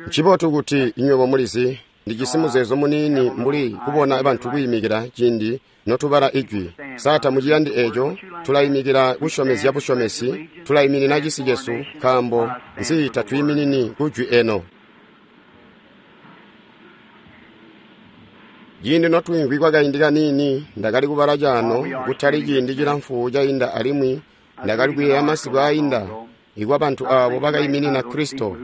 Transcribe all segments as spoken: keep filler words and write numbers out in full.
Ncibotu kuti nywebo mulizi, ndijisi muzeezo muniini mbuli kubona bantu kwiimikila ciindi notubala ijwi. Sa tamuciyandi eco? Tulaimikila kusyomezya busyomesi, tulaiminina cisi cesu, nkaambo nzi tatwiiminini kujwi eno. Ciindi notwiimvwi kwakaindi kaniini, ndakali kubala caano kutali ciindi cilamfu cainda alimwi ndakali kuyeeya masiku ainda ikwa bantu aabo bakaiminina Kristo.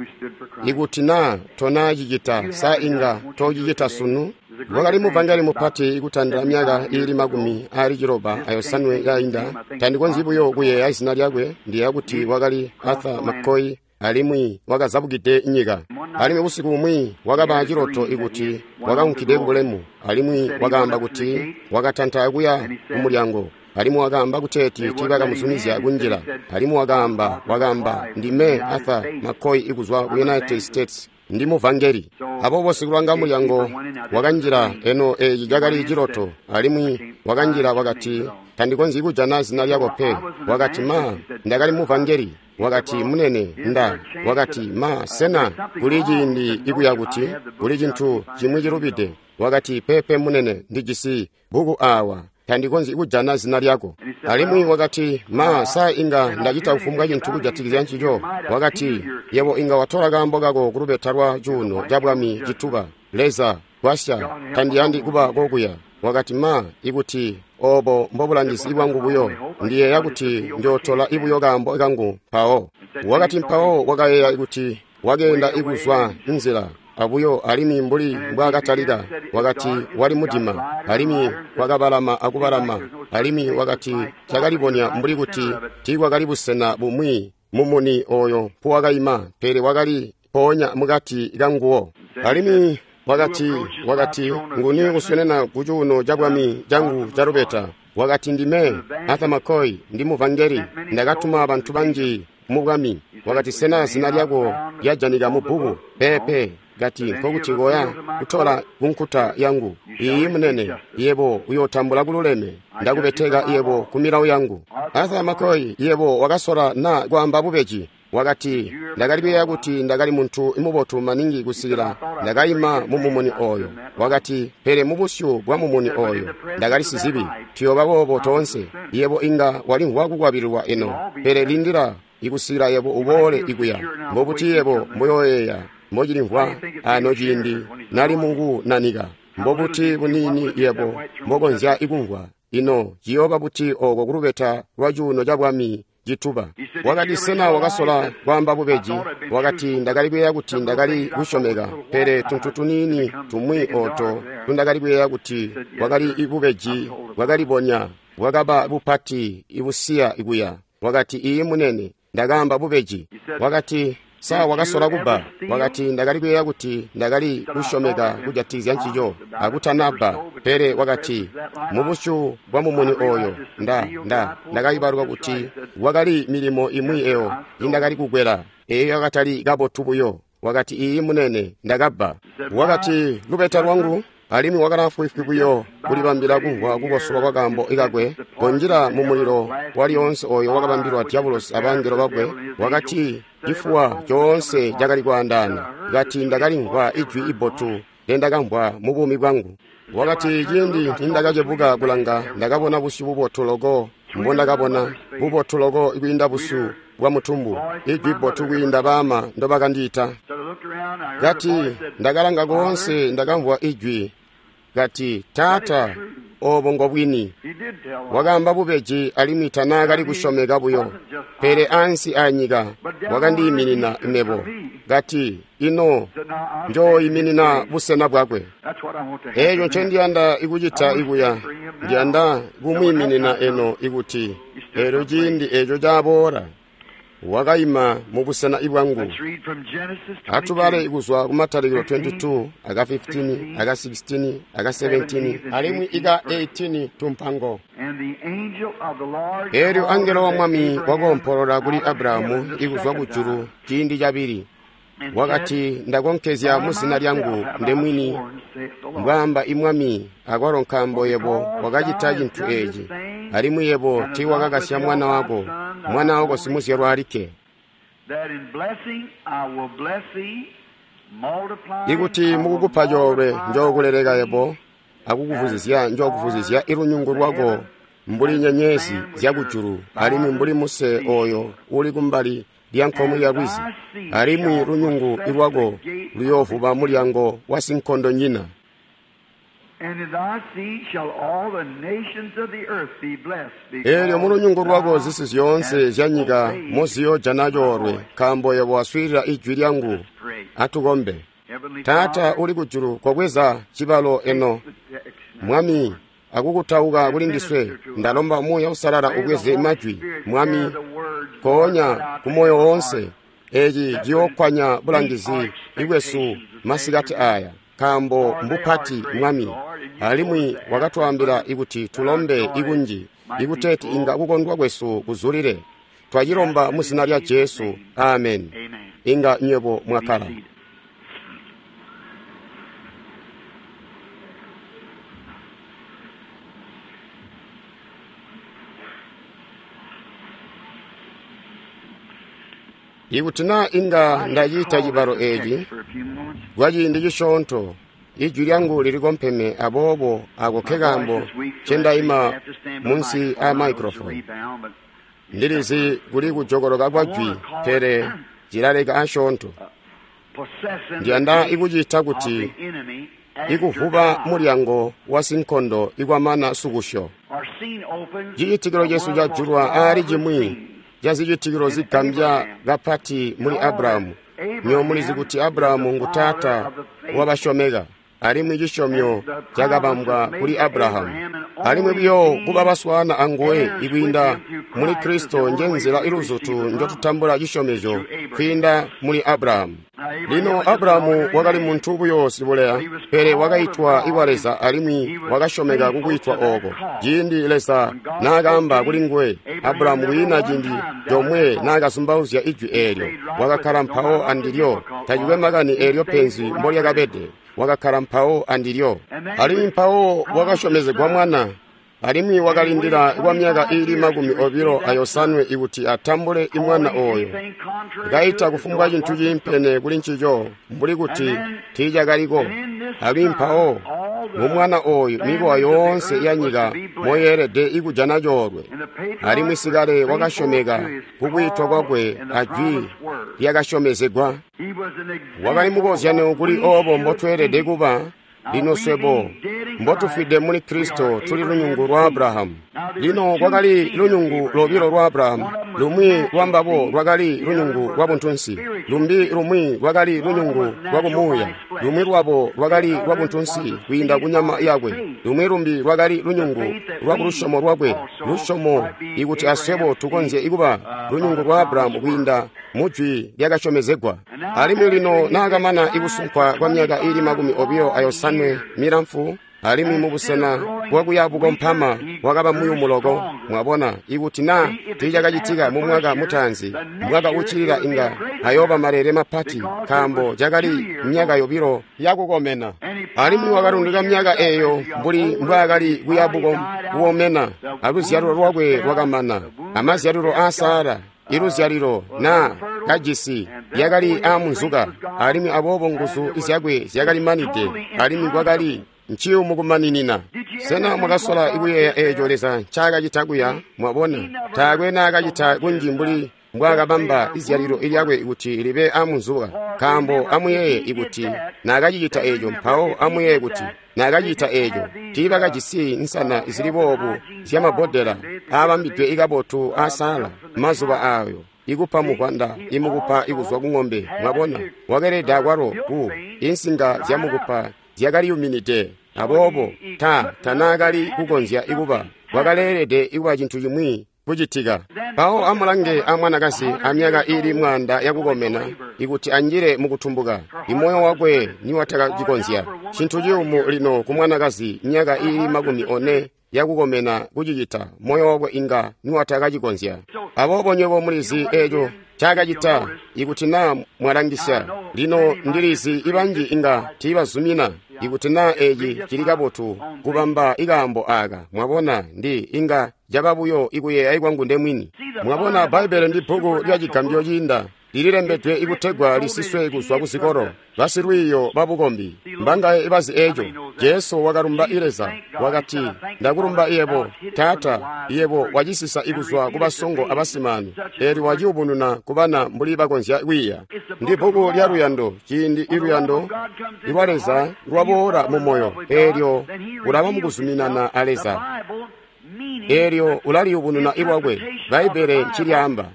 Ikuti naa tonacicita, sa inga tocicita sunu? Wakali muvangeli mupati ikutandila myaka iili makumi aali ciloba ayosanwe yainda. Tandikonzyi buyo kuyeeya zina lyakwe, ndiyeeya kuti wakali Arthur McCoy, alimwi wakazabukide nyika. Alimwi busiku bumwi wakaba ciloto ikuti wakaunkide kubulemu, alimwi wakaamba kuti wakatanta kuya kumulyango, alimwi wakaamba kuteeti tiibakamuzumizya kunjila. Alimwi wakaamba wakaamba ndime Arthur McCoy ikuzwa ku United States, ndi muvangeli. Aboobo sikulanga mulyango wakanjila, eno eeci cakali ciloto, alimwi wakanjila wakati, tandikonzyi kujana zina lyako pe. Wakati, ma, ndakali muvangeli. Wakati, munene, nda. Wakati, ma, sena kuli ciindi ikuya kuti kuli cintu cimwi cilubide? Wakati, pepe munene, ndijisi bbuku aawa, tandikonzyi kujana zina lyako. Alimwi wakati, ma, sa inga ndacita kufumbwa cintu kujatikizya ncico? Wakati, yebo inga watola kaambo kako kulubeta lwa cuuno cabwami cituba. Leza, gwasya, tandiyandi kuba kokuya. Wakati, ma, ikuti obo mbobulangizi bwangu buyo, ndiyeeya kuti njootola ibuyo kaambo kangu mpawo. Wakati mpawo wakayeeya kuti wakeenda ikuzwa nzila abuyo, alimwi mbuli mbwaakatalika, wakati wali mudima, alimwi wakabalama akubalama, alimwi wakati cakalibonya mbuli kuti tiikwakali busena bumwi mumuni oyo mpuwakaima, pele wakali mpoonya mukati kanguwo. Alimwi wakati wakati nguni uswenena ku cuuno cabwami cangu calubeta? Wakati, ndime Arthur McCoy, ndi muvangeli, ndakatuma bantu banji mu bwami. Wakati, sena zina lyako lyajanika mu bbuku? Pepe. Kati, nkokuti koya kutola kunkuta yangu. Iyi munene, yebo uyootambula kululeme, ndakubeteka yebo ku milawo yangu. Arthur McCoy, yebo wakasola na kwaamba bubeji. Wakati, ndakali kuyeeya kuti ndakali muntu mubotu maningi kusikila ndakaima mu mumuni oyo. Wakati, pele mubusyu bwa mumuni oyo ndakali sizibi. Tuyooba boobo toonse. Yebo inga walimvwa kukwabililwa eno, pele lindila ikusikila yebo uboole ikuya. Mbobuti yebo mboyoyeeya mbocilimvwa ano ciindi nali mukunanika? Mbobuti buniini yebo mbokonzya ikumvwa? Ino ciyooba buti oko kulubeta lwa cuuno cabwami cituba? Wakati, sena wakasola kwaamba bubeji? Wakati, ndakali kuyeeya kuti ndakali kusyomeka, pele tuntu tuniini tumwi oto tundakali kuyeeya kuti bwakali ibubeji bwakalibonya bwakaba bupati ibusiya ikuya. Wakati, iyi munene, ndakaamba bubeji. Wakati, sa wakasola kubba? Wakati, ndakali kuyeeya kuti ndakali kusyomeka kujatikizya ncico akutanabba, pele wakati mubusyu bwa mumuni oyo nda nda ndakaibaluka kuti wakali milimo imwi eyo indakali kukwela, eyo yakatali kabotu buyo. Wakati, iyi munene, ndakabba. Wakati, lubeta lwangu. Alimwi wakalaafwiifwi buyo kulibambila kumvwa kukosolwa kwa kaambo kakwe, konjila mu mulilo walyoonse oyo wakabambilwa diabulosi abangelo bakwe. Wakati cifuwa coonse cakali kwaandaana. Kati, ndakalimvwa ijwi ibotu ndendakamvwa mu buumi bwangu. Wakati, ciindi nindakacebuka kulanga, ndakabona busyu bubotu loko mbondakabona, bubotu loko kwiinda busyu bwa mutumbu, ijwi bbotu kwiinda baama ndobakandiita. Kati, ndakalanga koonse, ndakamvwa ijwi. Kati, taata, obo ngobwini. Wakaamba bubeji alimwi tanaakali kusyomeka buyo, pele ansi anyika wakandiiminina mebo. Kati, ino njooiminina busena bwakwe. Eeco ncendiyanda ikucita ikuya, ndiyanda kumwiiminina eno ikuti eelyo ciindi eeco caboola wakaima mu busena bwangu. Atubale kuzwa kumatalikilo twenty-two aka fifteen aka sixteen aka seventeen alimwi ika eighteen tumpango. Eelyo angelo wa Mwami wakoompolola kuli Abrahamu ikuzwa kujulu ciindi cabili. Wakati, ndakonkezya muzina lyangu ndemwini, mbwaamba imwami, akwalo nkaambo yebo wakacita cintu eeci, alimwi yebo tiiwakakasya mwana wako, mwana wako simuzyalwa alikke. Ikuti mukukupa coolwe njookuleleka yebo akukuvuzizya njookuvuzizya ilunyungu lwako mbuli nyenyezi zyakujulu alimwi mbuli muse oyo uli kumbali lya nkomwe ya lwizi, alimwi lunyungu lwako luyoovuba mulyango wa sinkondonyina. Eelyo mulunyungu lwako zisi zyoonse zyanyika moziyoojana coolwe, nkaambo yebo waswiilila ijwi lyangu. Atukombe. Taata uli kujulu, kobweza cibalo eno, Mwami, akukutauka kuli ndiswe. Ndalomba Muuya Uusalala ubweze majwi, Mwami, koonya kumoyo woonse. Eci ciyookkwanya bulangizi bwesu masikati aya, nkaambo mbupati, Mwami, alimwi wakatwaambila ikuti tulombe ikunji, ikuteeti inga kukondwa kwesu kuzulile. Twacilomba mu zina lya Jesu, amen. Inga nywebo mwakkala. Ikuti naa inga ndacita cibalo eci kwa ciindi cisyoonto, ijwi lyangu lilikompeme, aboobo ako nkekaambo ncendaima munsi a microphone. Ndilizi kuli kujokoloka kwa jwi, pele cilaleka asyoonto. Ndiyanda ikucita kuti ikuvuba mulyango wa sinkondo ikwamana sukusyo. Cicitikilo cesu cajulwa aali cimwi cazicitikilo zigambya kapati muli Abrahamu. Nywebo mulizi kuti Abrahamu ngu taata wabasyomeka, alimwi cisyomyo cakabambwa kuli Abrahamu. Alimwi buyo kuba baswaana anguwe ikwiinda muli Kristo njenzila iluzutu njotutambula cisyomezyo kwiinda muli Abrahamu. Lino Abrahamu wakali muntu buyo sibuleya, pele wakaitwa ikwa Leza alimwi wakasyomeka kukwitwa ooko. Ciindi Leza naakaamba kuli nguwe, Abrahamu kwiina ciindi comwe naakazumbauzya ijwi eelyo. Wakakkala mpawo andilyo, tacikwe makani eelyo penzi mbolyakabede. Wakakkala mpawo andilyo, alimwi mpawo wakasyomezegwa mwana, alimwi wakalindila kwa myaka iili makumi obilo ayosanwe ikuti atambule imwana oyo. Kaita kufumbwa cintu ciimpene kuli ncico mbuli kuti tiicakaliko. Alimwi mpawo mumwana oyu mikowa yoonse ya nyika moyeelede ikujana coolwe. Alimwi sikale wakasyomeka kukwitwa kwakwe ajwi lyakasyomezegwa. Wakali mukozyano kuli oobo mbotweelede kuba lino swebo mbotufwide muli Kristo tuli lunyungu lwa Abrahamu. Lino kwakali lunyungu lobilo lwa Abrahamu. Lumwi lwambabo lwakali lunyungu lwa buntunsi, lumbi lumwi lwakali lunyungu lwa kumuuya. Lumwi lwabo lwakali lwa buntunsi kwiinda kunyama yakwe, lumwi lumbi lwakali lunyungu lwa kulusyomo lwakwe. Lusyomo ikuti aswebo tukonzye ikuba lunyungu lwa Abrahamu kwiinda mujwi lyakasyomezegwa. Alimwi lino naakamana ikusunkwa kwa myaka iili makumi obilo ayosanwe milamfu, alimwi mubusena bwakuya bukompama wakaba muyumu loko. Mwabona, ikuti naa tiicakacitika mu mwaka mutaanzi, mwaka uccilila inga ayooba malele mapati, nkaambo cakali myaka yobilo yakukomena. Alimwi wakalundika myaka eeyo mbuli mbwaakali kuya bukomena, aluzyalilo lwakwe lwakamana, amazyalilo aa Sara. Iluzyalilo naa kajisi lyakali aamunzuka, alimwi aboobo nguzu zyakwe zyakalimanide, alimwi kwakali nciyumu kumaninina. Sena mwakasola ikuyeeya eeco Leza ncaakacita kuya? Mwabona, taakwe naakacita kunji mbuli mbwaakabamba izyalilo lyakwe kuti libe aamunzuka, nkaambo amuyeeye ikuti naakacicita eeco, mpawo amuyeeye kuti naakacita eeco tiibakajisi nsana zili boobu zyamabbodela aabambidwe ikabotu aa Sara mazuba aayo, ikupa muvwanda imukupa ikuzwa kung'ombe. Mwabona, wakelede akwalo ku insinga zyamukupa zyakaliyuminide, aboobo ta tanaakali kukonzya ikuba, wakaleelede ikuba cintu cimwi kucitika. Mpawo amulange amwanakazi amyaka iili mwaanda yakukomena ikuti anjile mukutumbuka, imoyo wakwe niwatakacikonzya. Cintu ciyumu lino ku mwanakazi myaka iili makumi one yakukomena kucicita, moyo wakwe inga niwatakacikonzya. Aboobo nywebo mulizi eeco ncaakacita ikuti naa mwalangisya. Lino ndilizi ibanji inga tiibazumina ikuti naa eci cili kabotu kubamba ikaambo aaka. Mwabona, ndi inga caba buyo ikuyeeya kwangu ndemwini. Mwabona, Bbaibbele ndi bbuku lya cigambyo ciinda. Lililembedwe ikutegwa lisiswe kuzwa kuzikolo. Basilwiiyo babukombi mbangaye bazi eco. Jesu wakalumba Leza, wakati, ndakulumba yebo, Taata, yebo wacisisa ikuzwa kubasongo abasimani, eelyo waciyubununa kubana mbuli bakonzya kwiiya. Ndi bbuku lya luyando, ciindi iluyando lwa Leza lwaboola mu moyo, eelyo ulaba mukuzuminana a Leza. Eelyo ulaliyubununa ilwakwe. Bbaibbele ncilyaamba.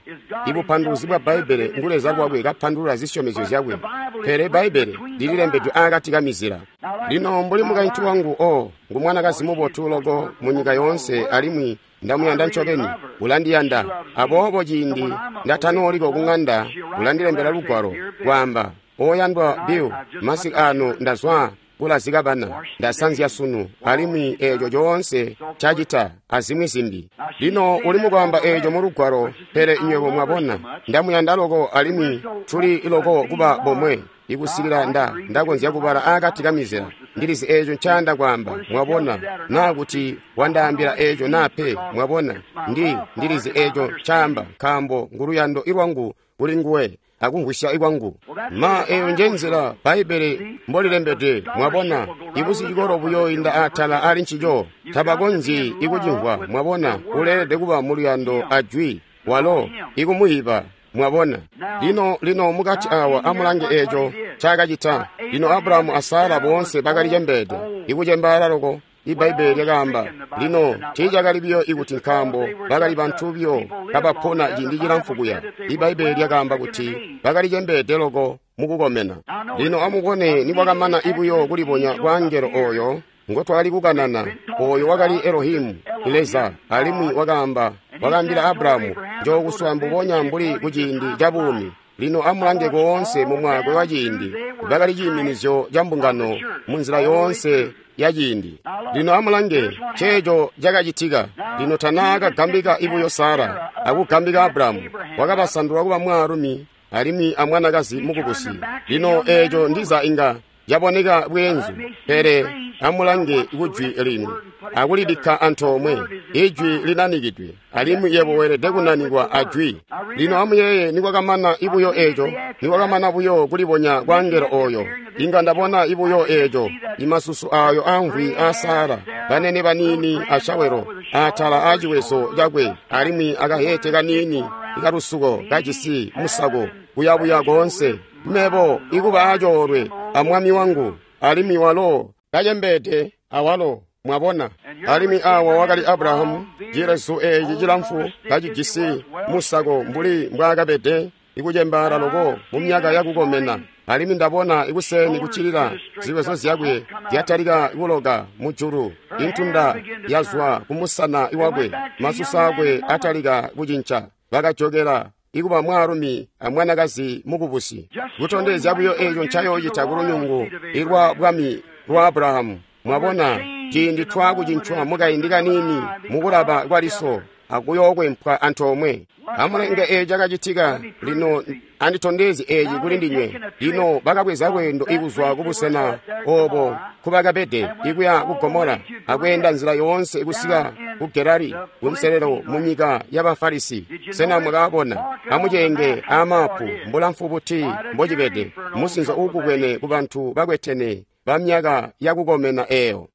Ibupanduluzi bwa Bbaibbele ngu Leza lwakwe kapandulula zisyomezyo zyakwe. Pele Bbaibbele lililembedwe aakati kamizila. Lino mbuli mukaintu wangu o ngu mwanakazi mubotu loko munyika yoonse alimwi ndamuyanda ncobeni, ulandiyanda. Aboobo ciindi ndatanooliko kuŋanda ulandilembela lugwalo kwaamba, oyandwa Bill, masiku aano ndazwa kulazika bana, ndasanzya sunu, alimwi eeco coonse cacita azimwi zimbi. Lino uli mukwaamba eeco mu lugwalo, pele nywebo mwabona, ndamuyanda loko alimwi tuli loko kuba bomwe, ikusikila nda ndakonzya kubala aakati kamizila. Ndilizi eeco ncayanda kwaamba, mwabona, naa kuti wandaambila eeco naa pe, mwabona, ndi ndilizi eeco ncaamba, nkaambo nguluyando ilwangu kuli nguwe akumvwisya ikwangu. Ma eyo nje nzila Bbaibbele mbolilembedwe, mwabona, ibusicikolo buyoinda atala ali ncico, tabakonzyi ikucimvwa, mwabona, uleelede kuba muluyando ajwi, walo ikumuyiba, mwabona. Lino, lino mukati awa amulange eeco ncaakacita. Lino Abrahamu a Sara boonse bakali cembeede, ikucembaala loko. Ibbaibbele lyakaamba, lino tiicakali biyo ikuti nkaambo bakali bantu biyo kabapona ciindi cilamfu kuya. Ibbaibbele lyakaamba kuti bakali cembeede loko mukukomena. Lino amubone nikwakamana ibuyo kulibonya kwa angelo oyo ngotwakali kukanana, oyo wakali Elohimu, Leza, alimwi wakaamba, wakaambila Abrahamu, njookuswa mbubonya mbuli kuciindi ca buumi. Lino amulange koonse mu mwaakwe wa ciindi, bakali ciiminizyo ca mbungano munzila yoonse ya ciindi. Lino amulange ceeco cakacitika. Lino tanaakagambika ibuyo Sara akugambika Abrahamu, wakabasandula kuba mwaalumi alimwi amwanakazi mukubusi. Lino eeco ndiza inga caboneka bweenzu, pele amulange kujwi lino akulibikka antoomwe. Ijwi linanikidwe, alimwi yebo weelede kunanikwa ajwi. Lino amuyeeye nikwakamana ibuyo eeco, nikwakamana buyo kulibonya kwa angelo oyo, inga ndabona ibuyo eeco, imasusu ayo amvwi a Sara, banene baniini ashawelo, atala aciwezo cakwe, alimwi akahete kaniini ikalusuko kajisi musako kuyabuya koonse. Mebo ikuba acoolwe amwami wangu, alimwi walo kacembeede awalo, mwabona. Alimwi awa wakali Abrahamu, cilezu eeci cilamfu kacijisi musako mbuli mbwaakabede, ikucembaala loko mu myaka yakukomena. Alimwi ndabona ikuseni kuccilila ziwezo zyakwe zyatalika kuloka mujulu, intunda yazwa kumusana wakwe, masusu akwe atalika kucinca. Bakajokela ikuba mwaalumi amwanakazi mukubusi, kutondezya buyo eeco ncayoocita kulunyungu ilwa bwami lwa Abrahamu. Mwabona, ciindi twakucincwa mukaindi kaniini mukulaba kwaliso akuyookwempwa antoomwe. Amulenge eeco cakacitika. Lino anditondezye eeci kuli ndinywe. Lino bakabweza lweendo ikuzwa kubusena obo nkubakabede ikuya ku Gomora, akweenda nzila yoonse ikusika ku Gerari kunselelo mu nyika y'Abafarisi. Sena mwakabona? Amuceenge aamapu mbulamfu buti mbocibede, musinzo uukubwene kubantu bakwetene bamyaka yakukomena eyo.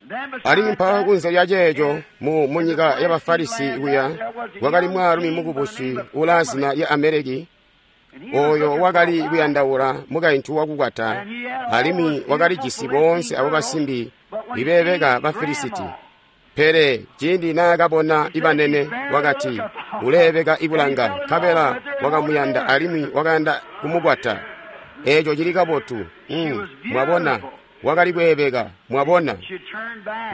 Alimwi mpawo kunze lya ceeco mu munyika y'Abafarisi kuya kwakali mwaalumi mukubusi ulaa zina lya Ameleki, oyo wakali kuyandaula mukaintu wakukwata, alimwi wakalijisi boonse abo basimbi ibeebeka Bafilisiti. Pele ciindi naakabona ibanene, wakati, uleebeka ikulanga, nkabela wakamuyanda alimwi wakayanda kumukwata. Eeco cili kabotu. Mm, mwabona, wakali kweebeka, mwabona,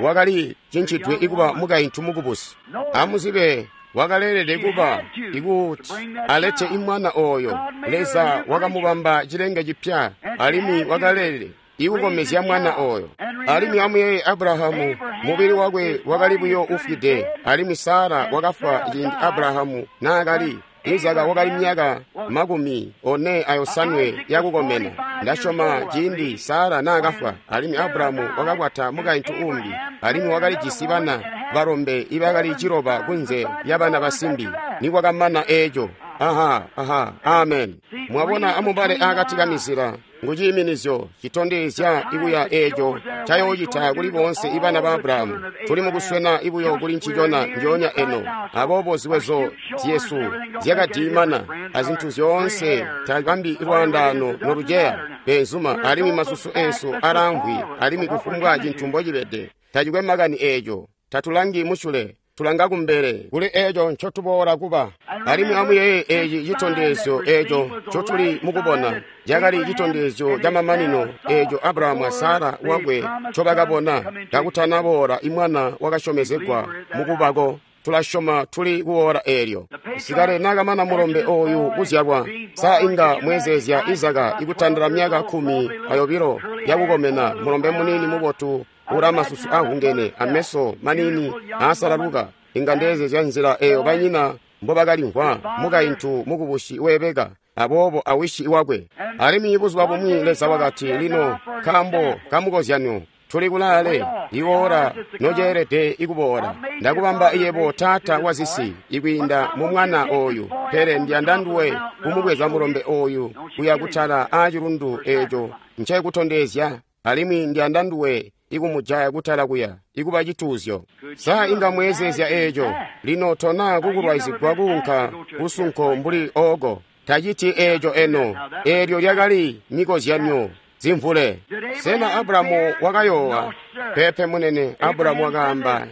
wakali cincitwe ikuba mukaintu mukubusi. Amuzibe, wakaleelede kuba ikuti alete imwana oyo. Leza wakamubamba cilenge cipya, alimwi wakaleelede ikukomezya mwana oyo. Alimwi amuyeeye Abrahamu, mubili wakwe wakali buyo ufwide, alimwi Sara wakafwa ciindi Abrahamu naakali Izaka wakali myaka makumi one ayosanwe yakukomena. Ndasyoma ciindi Sara naakafwa, alimwi Abrahamu wakakwata mukaintu umbi, alimwi wakalijisi bana balombe ibakali ciloba kunze lyabana basimbi. Nikwakamana eeco, Aha, aha, amen. Mwabona, amubale akati kamizila ngu ciiminizyo citondezya ikuya eeco cayoocita kuli boonse ibana ba Abrahamu. Tuli mukuswena ibuyo kuli ncicona njoonya eno. Aboobo ziwezo zyesu zyakadiimana azintu zyoonse tabambi lwaandaano noluceya beenzuma, alimwi masusu eesu alaamvwi, alimwi kufumbwa cintu mbocibede tacikwe makani eeco. Tatulangi musyule, tulanga kumbele kuli eeco ncotuboola kuba. Alimwi amuyeeye eeci citondezyo eeco ncotuli mukubona cakali citondezyo camamanino eeco Abrahamu a Sara wakwe ncobakabona kakutanaboola imwana wakasyomezegwa mukubako. Tulasyoma tuli kuwoola eelyo. Sikale naakamana mulombe ooyu kuzyalwa, sa inga mwezeezya Izaka ikutandila myaka kkumi ayobilo yakukomena, mulombe muniini mubotu ula masusu ahungene ameso maniini aasalaluka. Inga ndeezezya nzila eeyo banyina mbobakalimvwa, mukaintu mukubusi weebeka, aboobo awishi wakwe. Alimwi buzuba bumwi Leza wakati, lino nkaambo kamukozyanyo tuli kulaale, iwoora noceelede ikuboola. Ndakubamba yebo taata wazisi ikwiinda mu mwana ooyu, pele ndiyanda nduwe kumubweza mulombe ooyu kuya kutala aacilundu eeco ncekutondezya, alimwi ndiyanda nduwe ikumujaya kutala kuya ikuba cituuzyo. Sa inga mweezeezya eeco? Lino tona kukulwaizigwa kuunka kusunko mbuli ooko. Taciti eeco eno. Eelyo lyakali mikozyanyo zimvule. Sena Abrahamu wakayoowa? Peepe munene. Abrahamu wakaamba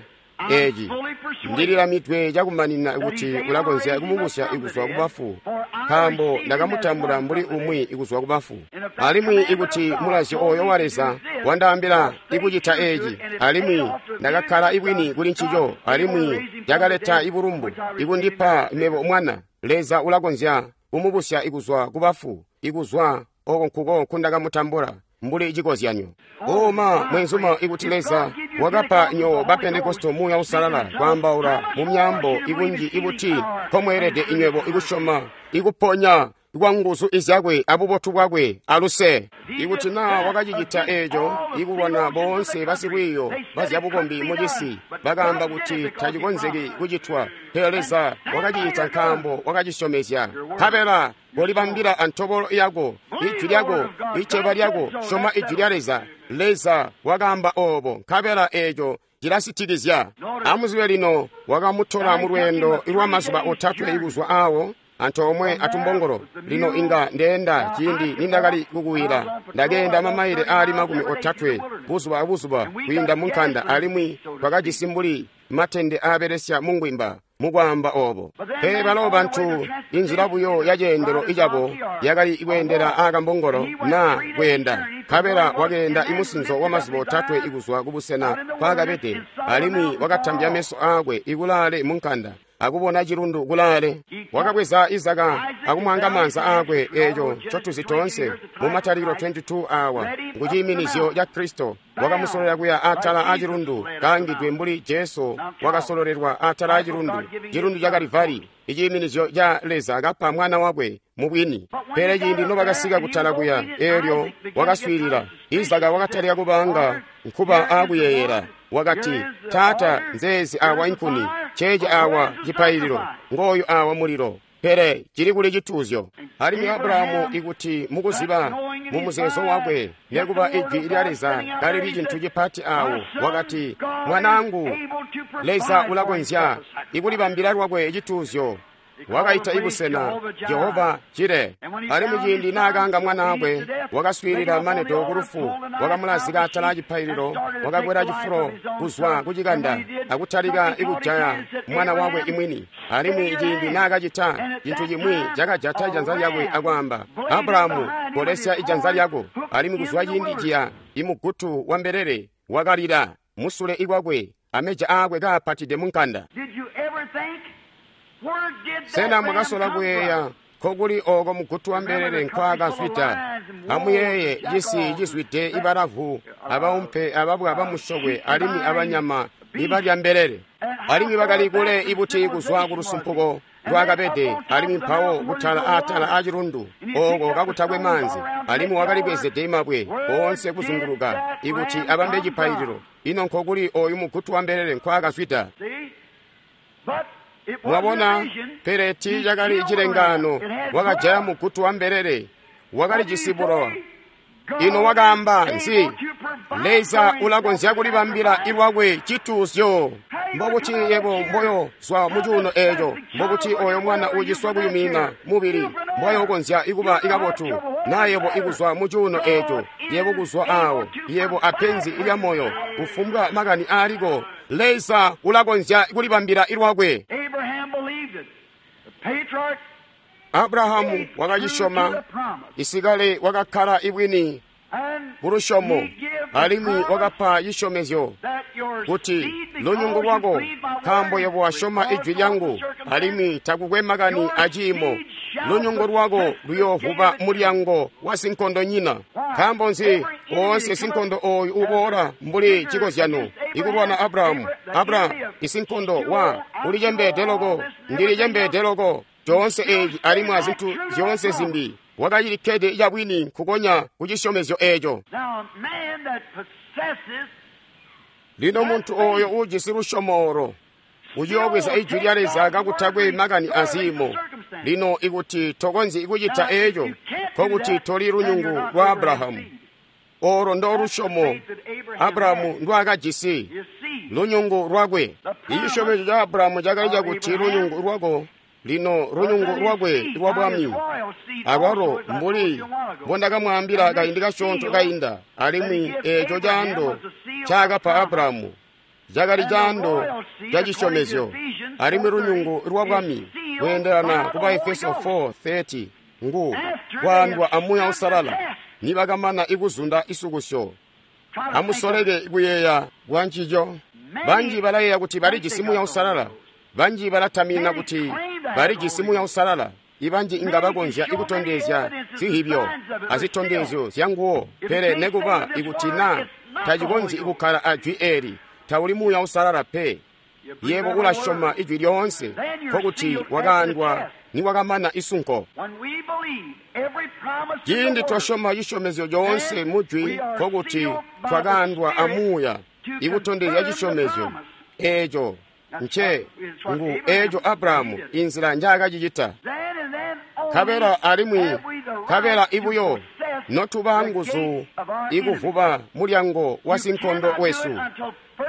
eeci, ndililamidwe cakumanina kuti ulakonzya kumubusya ikuzwa kubafu, nkaambo ndakamutambula mbuli umwi ikuzwa kubafu. Alimwi ikuti mulazyo ooyo wa Leza wandaambila ikucita eeci, alimwi ndakakkala ibwini kuli ncico, alimwi cakaleta ibulumbu ikundipa mebo mwana, Leza ulakonzya kumubusya ikuzwa kubafu, ikuzwa oko nkuko nkundakamutambula mbuli cikozyanyo. Oma mwenzuma, ikuti Leza wakapa nyo ba Pentekosto Muuya Uusalala kwaambaula mu myaambo ikunji ibuti nkomweelede inywebo ikusyoma ikuponya kwa nguzu izyakwe abubotu bwakwe aluse. Ikuti naa wakacicita eeco ikulwana boonse basikwiiyo bazyabukombi mucisi bakaamba kuti tacikonzeki kucitwa, pele Leza wakacicita nkaambo wakacisyomezya. Nkabela kolibambila antobolo yako, ijwi lyako, iceba lyako, syoma ijwi lya Leza. Leza wakaamba oobo, nkabela eeco cilasitikizya. Amuzibe lino, wakamutola mulweendo lwamazuba otatwe ikuzwa aawo antoomwe atumbongolo. Lino inga ndeenda ciindi nindakali kukuwila, ndakeenda mamaile aali makumi otatwe buzuba abuzuba kwiinda munkanda, alimwi twakajisi mbuli matende aabelesya mungwimba mukwaamba oobo. Pele balo bantu inzila buyo yaceendelo icabo yakali kweendela aakambongolo naa kweenda. Nkabela wakeenda imusinzo wamazuba otatwe ikuzwa kubusena nkwaakabede, alimwi wakatambya meso aakwe ikulaale munkanda akubona cilundu kulaale. Wakabweza Izaka akumwanga maanza aakwe, eeco ncotuzi toonse mu Matalikilo makumi abili awa ngu ciiminizyo ca Kristo. Wakamusololela kuya atala acilundu kaangidwe mbuli Jesu wakasololelwa atala acilundu, cilundu ca Kalivari, iciiminizyo ca Leza kapa mwana wakwe mubwini. Pele ciindi nobakasika kutala kuya, eelyo wakaswiilila. Izaka wakatalika kubanga nkuba aakuyeeyela. Wakati, Taata, nzeezi awa inkuni, ceeci awa cipaililo, ngooyu awa mulilo, pele cili kuli cituuzyo. Alimwi Abrahamu ikuti mukuziba mumuzeezo wakwe nekuba ijwi lya Leza kalili cintu cipati awo, wakati, mwanaangu, Leza ulakonzya ikulibambila lwakwe cituuzyo. Wakaita ibusena Jehova Jire. Alimwi ciindi naakaanga mwanaakwe, wakaswiilila manedo kulufu, wakamulazika atala acipaililo, wakakwela cifulo kuzwa kucikanda akutalika ikujaya mwana wakwe imwini. Alimwi ciindi naakacita cintu cimwi cakajata ijanza lyakwe akwaamba, Abrahamu, kolesya ijanza lyako. Alimwi kuzwa ciindi ciya imugutu wa mbelele wakalila musule ikwakwe, ameja aakwe kaapatide munkanda. Sena mwakasola kuyeeya nkokuli ooko mugutu wa mbelele nkwaakazwida? Amuyeeye cisi cizwide ibalavu, abaumpe, ababwa bamusyokwe, alimwi abanyama ibalya mbelele. Alimwi bakali kule ibuti kuzwa kulusumpuko lwakabede, alimwi mpawo kutala atala acilundu ooko kakutakwe maanzi, alimwi wakalibwezede mabwe oonse kuzunguluka ikuti abambe cipaililo. Ino nkokuli ooyu mugutu wa mbelele nkwaakazwida? Mwabona, pele tiicakali cilengaano. Wakajaya mugutu wa mbelele, wakalijisi bulowa. Ino wakaamba nzi? Leza ulakonzya kulibambila lwakwe cituuzyo. Mbobuti yebo mboyo zwa mucuuno eeco? Mbobuti oyo mwana uuciswa kuyumina mubili mbwayokonzya ikuba ikabotu? Na yebo ikuzwa mucuuno eeco, yebo kuzwa awo, yebo apenzi lya moyo, kufumbwa makani aaliko, Leza ulakonzya kulibambila lwakwe. Abrahamu wakacisyoma, isikale wakakkala ibwini kulusyomo, alimwi wakapa cisyomezyo kuti lunyungu lwako, nkaambo yebo wasyoma ijwi lyangu, alimwi takukwe makani aciimo, lunyungu lwako luyoovuba mulyango wa sinkondonyina. Nkaambo nzi woonse sinkondo ooyu uboola mbuli cikozyano ikulwana Abrahamu? Abrahamu isinkondo wa ulicembeede loko, ndilicembeede loko, coonse eeci alimwi azintu zyoonse zimbi. Wakacilikkede cabwini nkukonya kucisyomezyo eeco. Lino muntu ooyo uujisi lusyomo olo uyoobweza ijwi lya Leza kakutakwe makani aziimo. Lino ikuti tokonzyi kucita eeco, nkokuti toli lunyungu lwa Abrahamu. Olo ndo lusyomo Abrahamu ndwaakajisi, lunyungu lwakwe. Icisyomezyo ca Abrahamu cakali cakuti lunyungu lwako, lino lunyungu lwakwe lwa bwami, alwalo mbuli mbondakamwaambila kaindi kasyoonto kainda, alimwi eeco caando ncaakapa Abrahamu cakali caando ca cisyomezyo, alimwi lunyungu lwa bwami kweendelana ku Baefeso four thirty ngu kwaandwa a Muuya Uusalala nibakamana ikuzunda isukusyo. Amusoleke kuyeeya bwa ncico. Banji balayeeya kuti balijisi Muuya Uusalala, banji balatamina kuti balijisi Muuya Uusalala. Ibanji inga bakonzya ikutondezya zihibyo azitondezyo zyanguwo, pele nekuba ikuti na tacikonzyi ikukkala ajwi eli, tauli Muuya Uusalala pe. Yebo ulasyoma ijwi lyoonse, nkokuti wakaandwa niwakamana isunko. Ciindi twasyoma cisyomezyo coonse mujwi, nkokuti twakaandwa a Muuya ikutondezya cisyomezyo eeco nce ngu eeco Abrahamu inzila njaakacicita. Nkabela alimwi nkabela ibuyo notuba nguzu ikuvuba mulyango wa sinkondo wesu,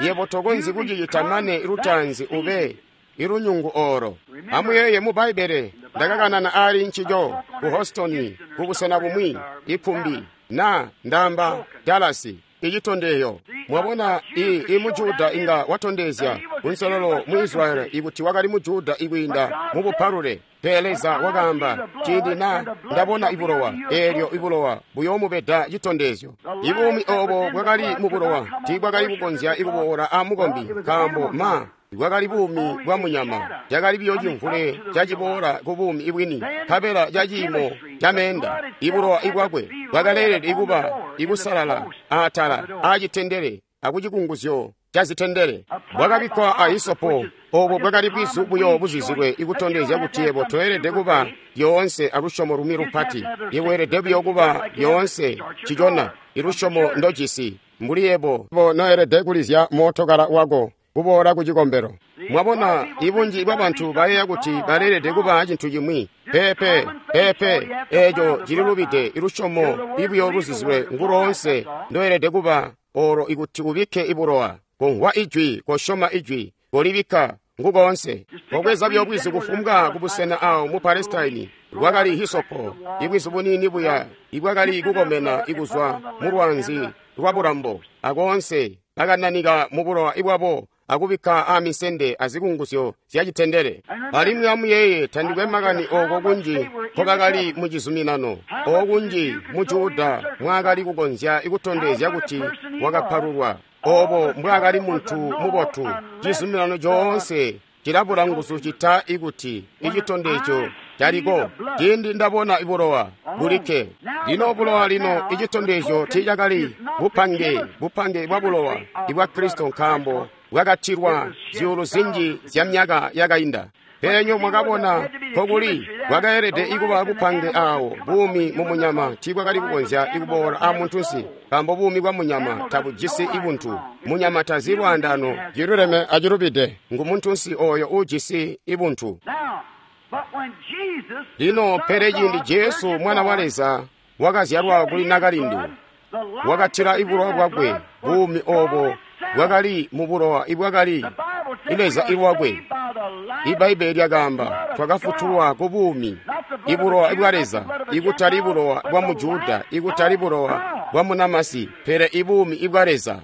yebo tokonzyi kucicita mane lutaanzi ube ilunyungu olo. Amuyeeye mu Bbaibbele ndakakanana aali ncico ku Houston kubusena bumwi, ikumbi na ndamba Dallas, icitondeyo. Mwabona, i, i muJuda inga watondezya kunselelo mu Israeli ikuti wakali muJuda ikwiinda mu bupalule. Pele Leza wakaamba, ciindi na ndabona ibulowa, eelyo ibulowa buyoomubeda citondezyo. Ibuumi oobo bwakali mu bulowa tiibwakali kukonzya ikuboola a mukombi, nkaambo ma bwakali buumi bwa munyama, cakali biyo cimvule caciboola ku buumi ibwini, nkabela ca ciimo ca meenda. Ibulowa ibwakwe bwakaleelede ikuba ikusalala aatala aacitendele akucikunguzyo ca zitendele. Bwakabikkwa a hisopo, oobo bwakali bwizu buyo buzizilwe ikutondezya kuti yebo toelede kuba lyoonse alusyomo lumwi lupati. Yebo weelede buyo kuba lyoonse cicona ilusyomo ndojisi, mbuli yebo noelede kulizya mootokala wako kuboola ku cikombelo. Mwabona, ibunji bwa bantu bayeeya kuti baleelede kuba cintu cimwi. Peepe, peepe, eeco cililubide. Ilusyomo ibuyo luzizilwe nguloonse ndoelede kuba olo ikuti ubikke ibulowa. Komvwa ijwi, kosyoma ijwi, kolibikka ngukoonse. Kobweza buyo bwizu kufumbwa kubusena awo mu Palestine bwakali hisopo, ibwizu buniini buya ibwakali kukomena ikuzwa mu lwanzi lwa bulambo, akoonse bakananika mu bulowa ibwabo akubikka aamisende azikunguzyo zyacitendele. Alimwi amuyeeye, tandikwe makani ooko kunji nkobakali mu cizuminano, ookunji mu Juda mwaakali kukonzya ikutondezya kuti wakapalulwa, oobo mbwaakali muntu mubotu. Cizuminano coonse cilabula nguzu cita ikuti icitondezyo caliko. Ciindi ndabona ibulowa bulikke. Lino bulowa lino icitondezyo tiicakali bupange, bupange bwa bulowa ibwa Kristo, nkaambo bwakatilwa zyuulu zinji zya myaka yakainda. Pele nyo mwakabona nkokuli bwakaelede ikuba bupange aawo buumi mu munyama tiibwakali kukonzya ikuboola a muntunsi, nkaambo buumi bwa munyama tabujisi ibuntu. Munyama tazi lwaandaano ciluleme acilubide, ngu muntunsi ooyo uujisi ibuntu. Lino pele ciindi Jesu Mwana wa Leza wakazyalwa kuli nakalindu, wakatila ibulowa bwakwe, buumi oobo bwakali mu bulowa ibwakali Leza ilwakwe. Ibbaibbele lyakaamba twakafutulwa ku buumi, ibulowa bwa Leza, ikutali bulowa bwa muJuda, ikutali bulowa bwa munamasi, pele ibuumi ibwa Leza.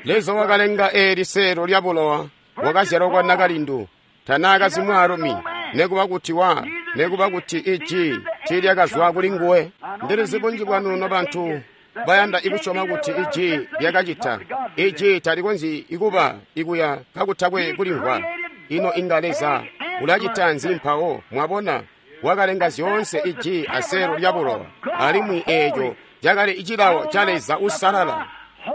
Leza wakalenga eeli seelo lya bulowa, wakazyalwa kwa nakalindu, tanaakazi mwaalumi, nekuba kuti wa nekuba kuti iji tiilyakazwa kuli nguwe. Ndilizi bunji bwanu nobantu bayanda ikusyoma kuti iji lyakacita. Iji talikonzyi ikuba ikuya kakutakwe kulimvwa. Ino inga Leza ulacita nzi mpawo? Mwabona, wakalenga zyoonse iji aseelo lya bulowa, alimwi eeco cakali cilawo ca Leza usalala.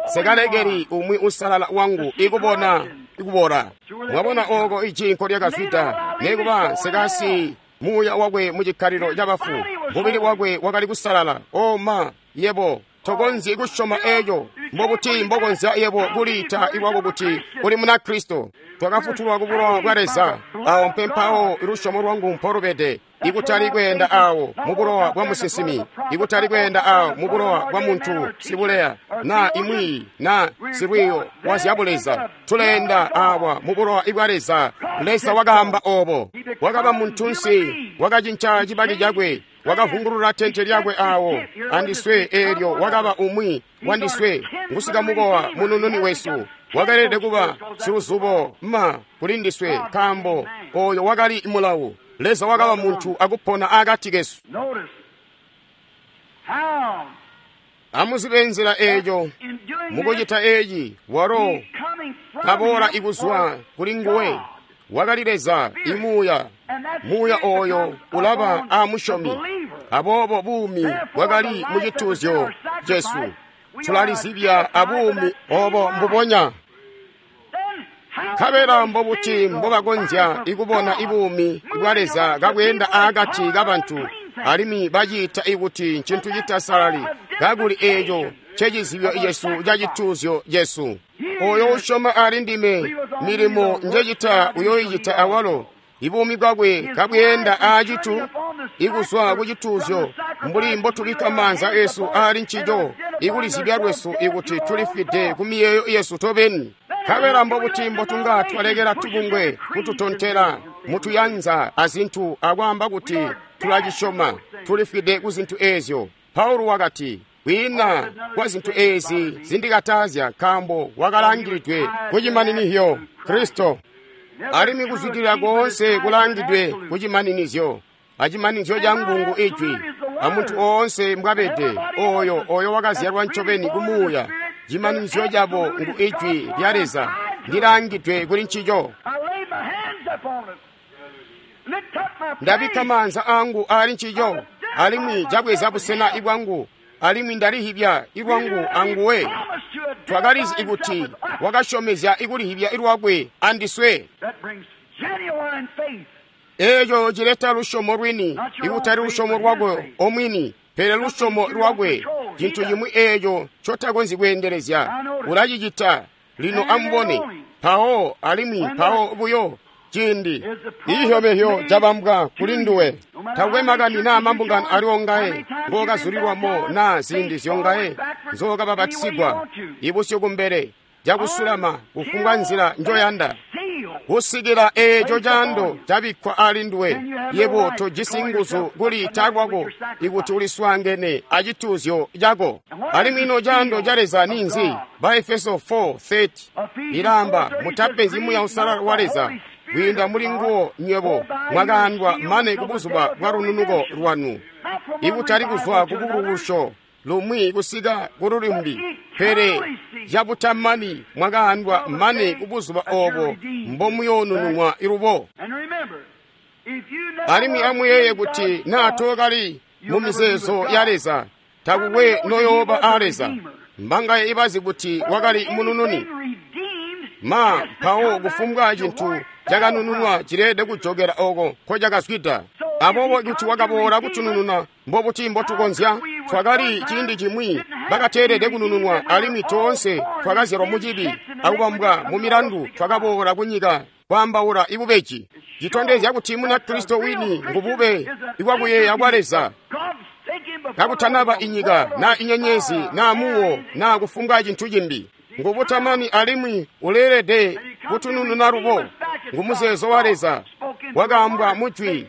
Sekalekeli umwi usalala wangu ikubona ikubora. Mwabona ooko iji nkolyakazwida, nekuba sekasi muuya wakwe mu cikkalilo cabafu, mubili wakwe wakali kusalala. O ma, yebo tokonzyi kusyoma eeco. Mbobuti mbokonzya yebo kuliita iwako kuti uli muna Kristo? Twakafutulwa ku bulowa bwa Leza. Awo mpempawo lusyomo lwangu mpolubede, ikutali kweenda awo mu bulowa bwa musinsimi, ikutali kweenda awo mu bulowa bwa muntu sibuleya na imwi na silwiyo wa zyabuleza. Tuleenda awa mu bulowa bwa Leza. Leza wakaamba obo. Wakaba muntunsi, wakacinca cibaki cakwe, wakavungulula tente lyakwe awo andiswe. Eelyo wakaba umwi wandiswe, ngusikamukowa munununi wesu. Wakalede kuba siluzubo ma kuli ndiswe, nkaambo oyo wakali mulawu. Leza wakaba muntu akupona akati kesu. Amuzibe nzila eeco mukucita eeci, walo kaboola ikuzwa kuli nguwe. Wakali Leza imuuya, muuya ooyo ulaba aamusyomi. Aboobo buumi bwakali mu cituuzyo cesu. Tulalizibya abuumi obo mbubonya. Nkabela mbobuti mbobakonzya ikubona ibuumi bwa Leza kabweenda akati kabantu, alimwi baciita ikuti ncintu citasalali, kakuli eeco ncecizibyo cesu ca cituuzyo cesu. Oyo usyoma ali ndime, milimo njecita uyoyicita awalo. Ibuumi bwakwe kabweenda aacitu ikuzwa ku cituuzyo, mbuli mbotubikka maanza esu aali ncico, ikulizibya lwesu ikuti tulifwide ku miyeeyo yesu tobeni. Nkabela mbobuti mbotunga twalekela tubungwe kututontela mutuyanza azintu akwaamba kuti tulacisyoma, tulifwide ku zintu eezyo. Paulo wakati, kwiina kwa zintu eezi zindikatazya, nkaambo wakalangilidwe kucimaninizyo Kristo. Alimwi kuzwidilila koonse kulangidwe kucimaninizyo, acimaninizyo cangu ngu ijwi, amuntu oonse mbwabede, oyo oyo wakazyalwa ncobeni kumuuya. Cimaninizyo cabo ngu ijwi lya Leza, ndilangidwe kuli ncico. Ndabikka maanza angu ali ncico, alimwi cabweza busena ibwangu, alimwi ndalihibya ilwangu anguwe. Twakalizi ikuti wakasyomezya ikulihibya ilwakwe andiswe. Eeco cileta lusyomo lwini, ikutali lusyomo lwakwe omwini, pele lusyomo lwakwe, cintu cimwi eeco ncotakonzyi kweendelezya. Ulacicita lino, amubone mpawo, alimwi mpawo buyo ciindi icihyomehyo cabambwa kuli nduwe. Takwe makani naa mambungano aliwo ngaye ngookazulilwamo naa ziindi zyongaye nzookabapatisigwa, ibusyu kumbele cakusulama kufumbwa nzila njoyanda, kusikila eeco caando cabikkwa ali nduwe. Yebo tojisi nguzu kuliita kwako ikuti uliswaangene acituuzyo cako. Alimwi ino caando ca Leza ninzi? Baefeso four thirty ilaamba, mutapenzyi Muuya Uusalala wa Leza, kwiinda muli nguwo nywebo mwakaandwa mane kubuzuba bwa lununuko lwanu, ikutali kuzwa kubulukusyo lumwi kusika kululumbi, pele cabutamani mwakaandwa mane kubuzuba obo mbomuyoonununwa ilubo. Alimwi amuyeeye kuti naa tookali mu mizeezo ya Leza, takukwe noyooba a Leza. Mbangaye ibazi kuti wakali munununi? Ma mpawo kufumbwa cintu cakanununwa cileede kujokela oko nkocakazwida. Aboobo kuti wakaboola kutunununa, mbobuti mbotukonzya? Twakali ciindi cimwi bakateelede kunununwa, alimwi toonse twakazyalwa mucibi akubambwa mu milandu, twakaboola kunyika kwaambaula ibubeji. Citondezya kuti Munakristo wini ngubube ibwakuyeeya kwa Leza. Kakutanaba inyika naa inyenyezi naa muwo naa kufumbwa cintu cimbi, ngubutamani alimwi uleelede kutunununa lubo. Ngumuzeezo wa Leza wakaambwa mujwi,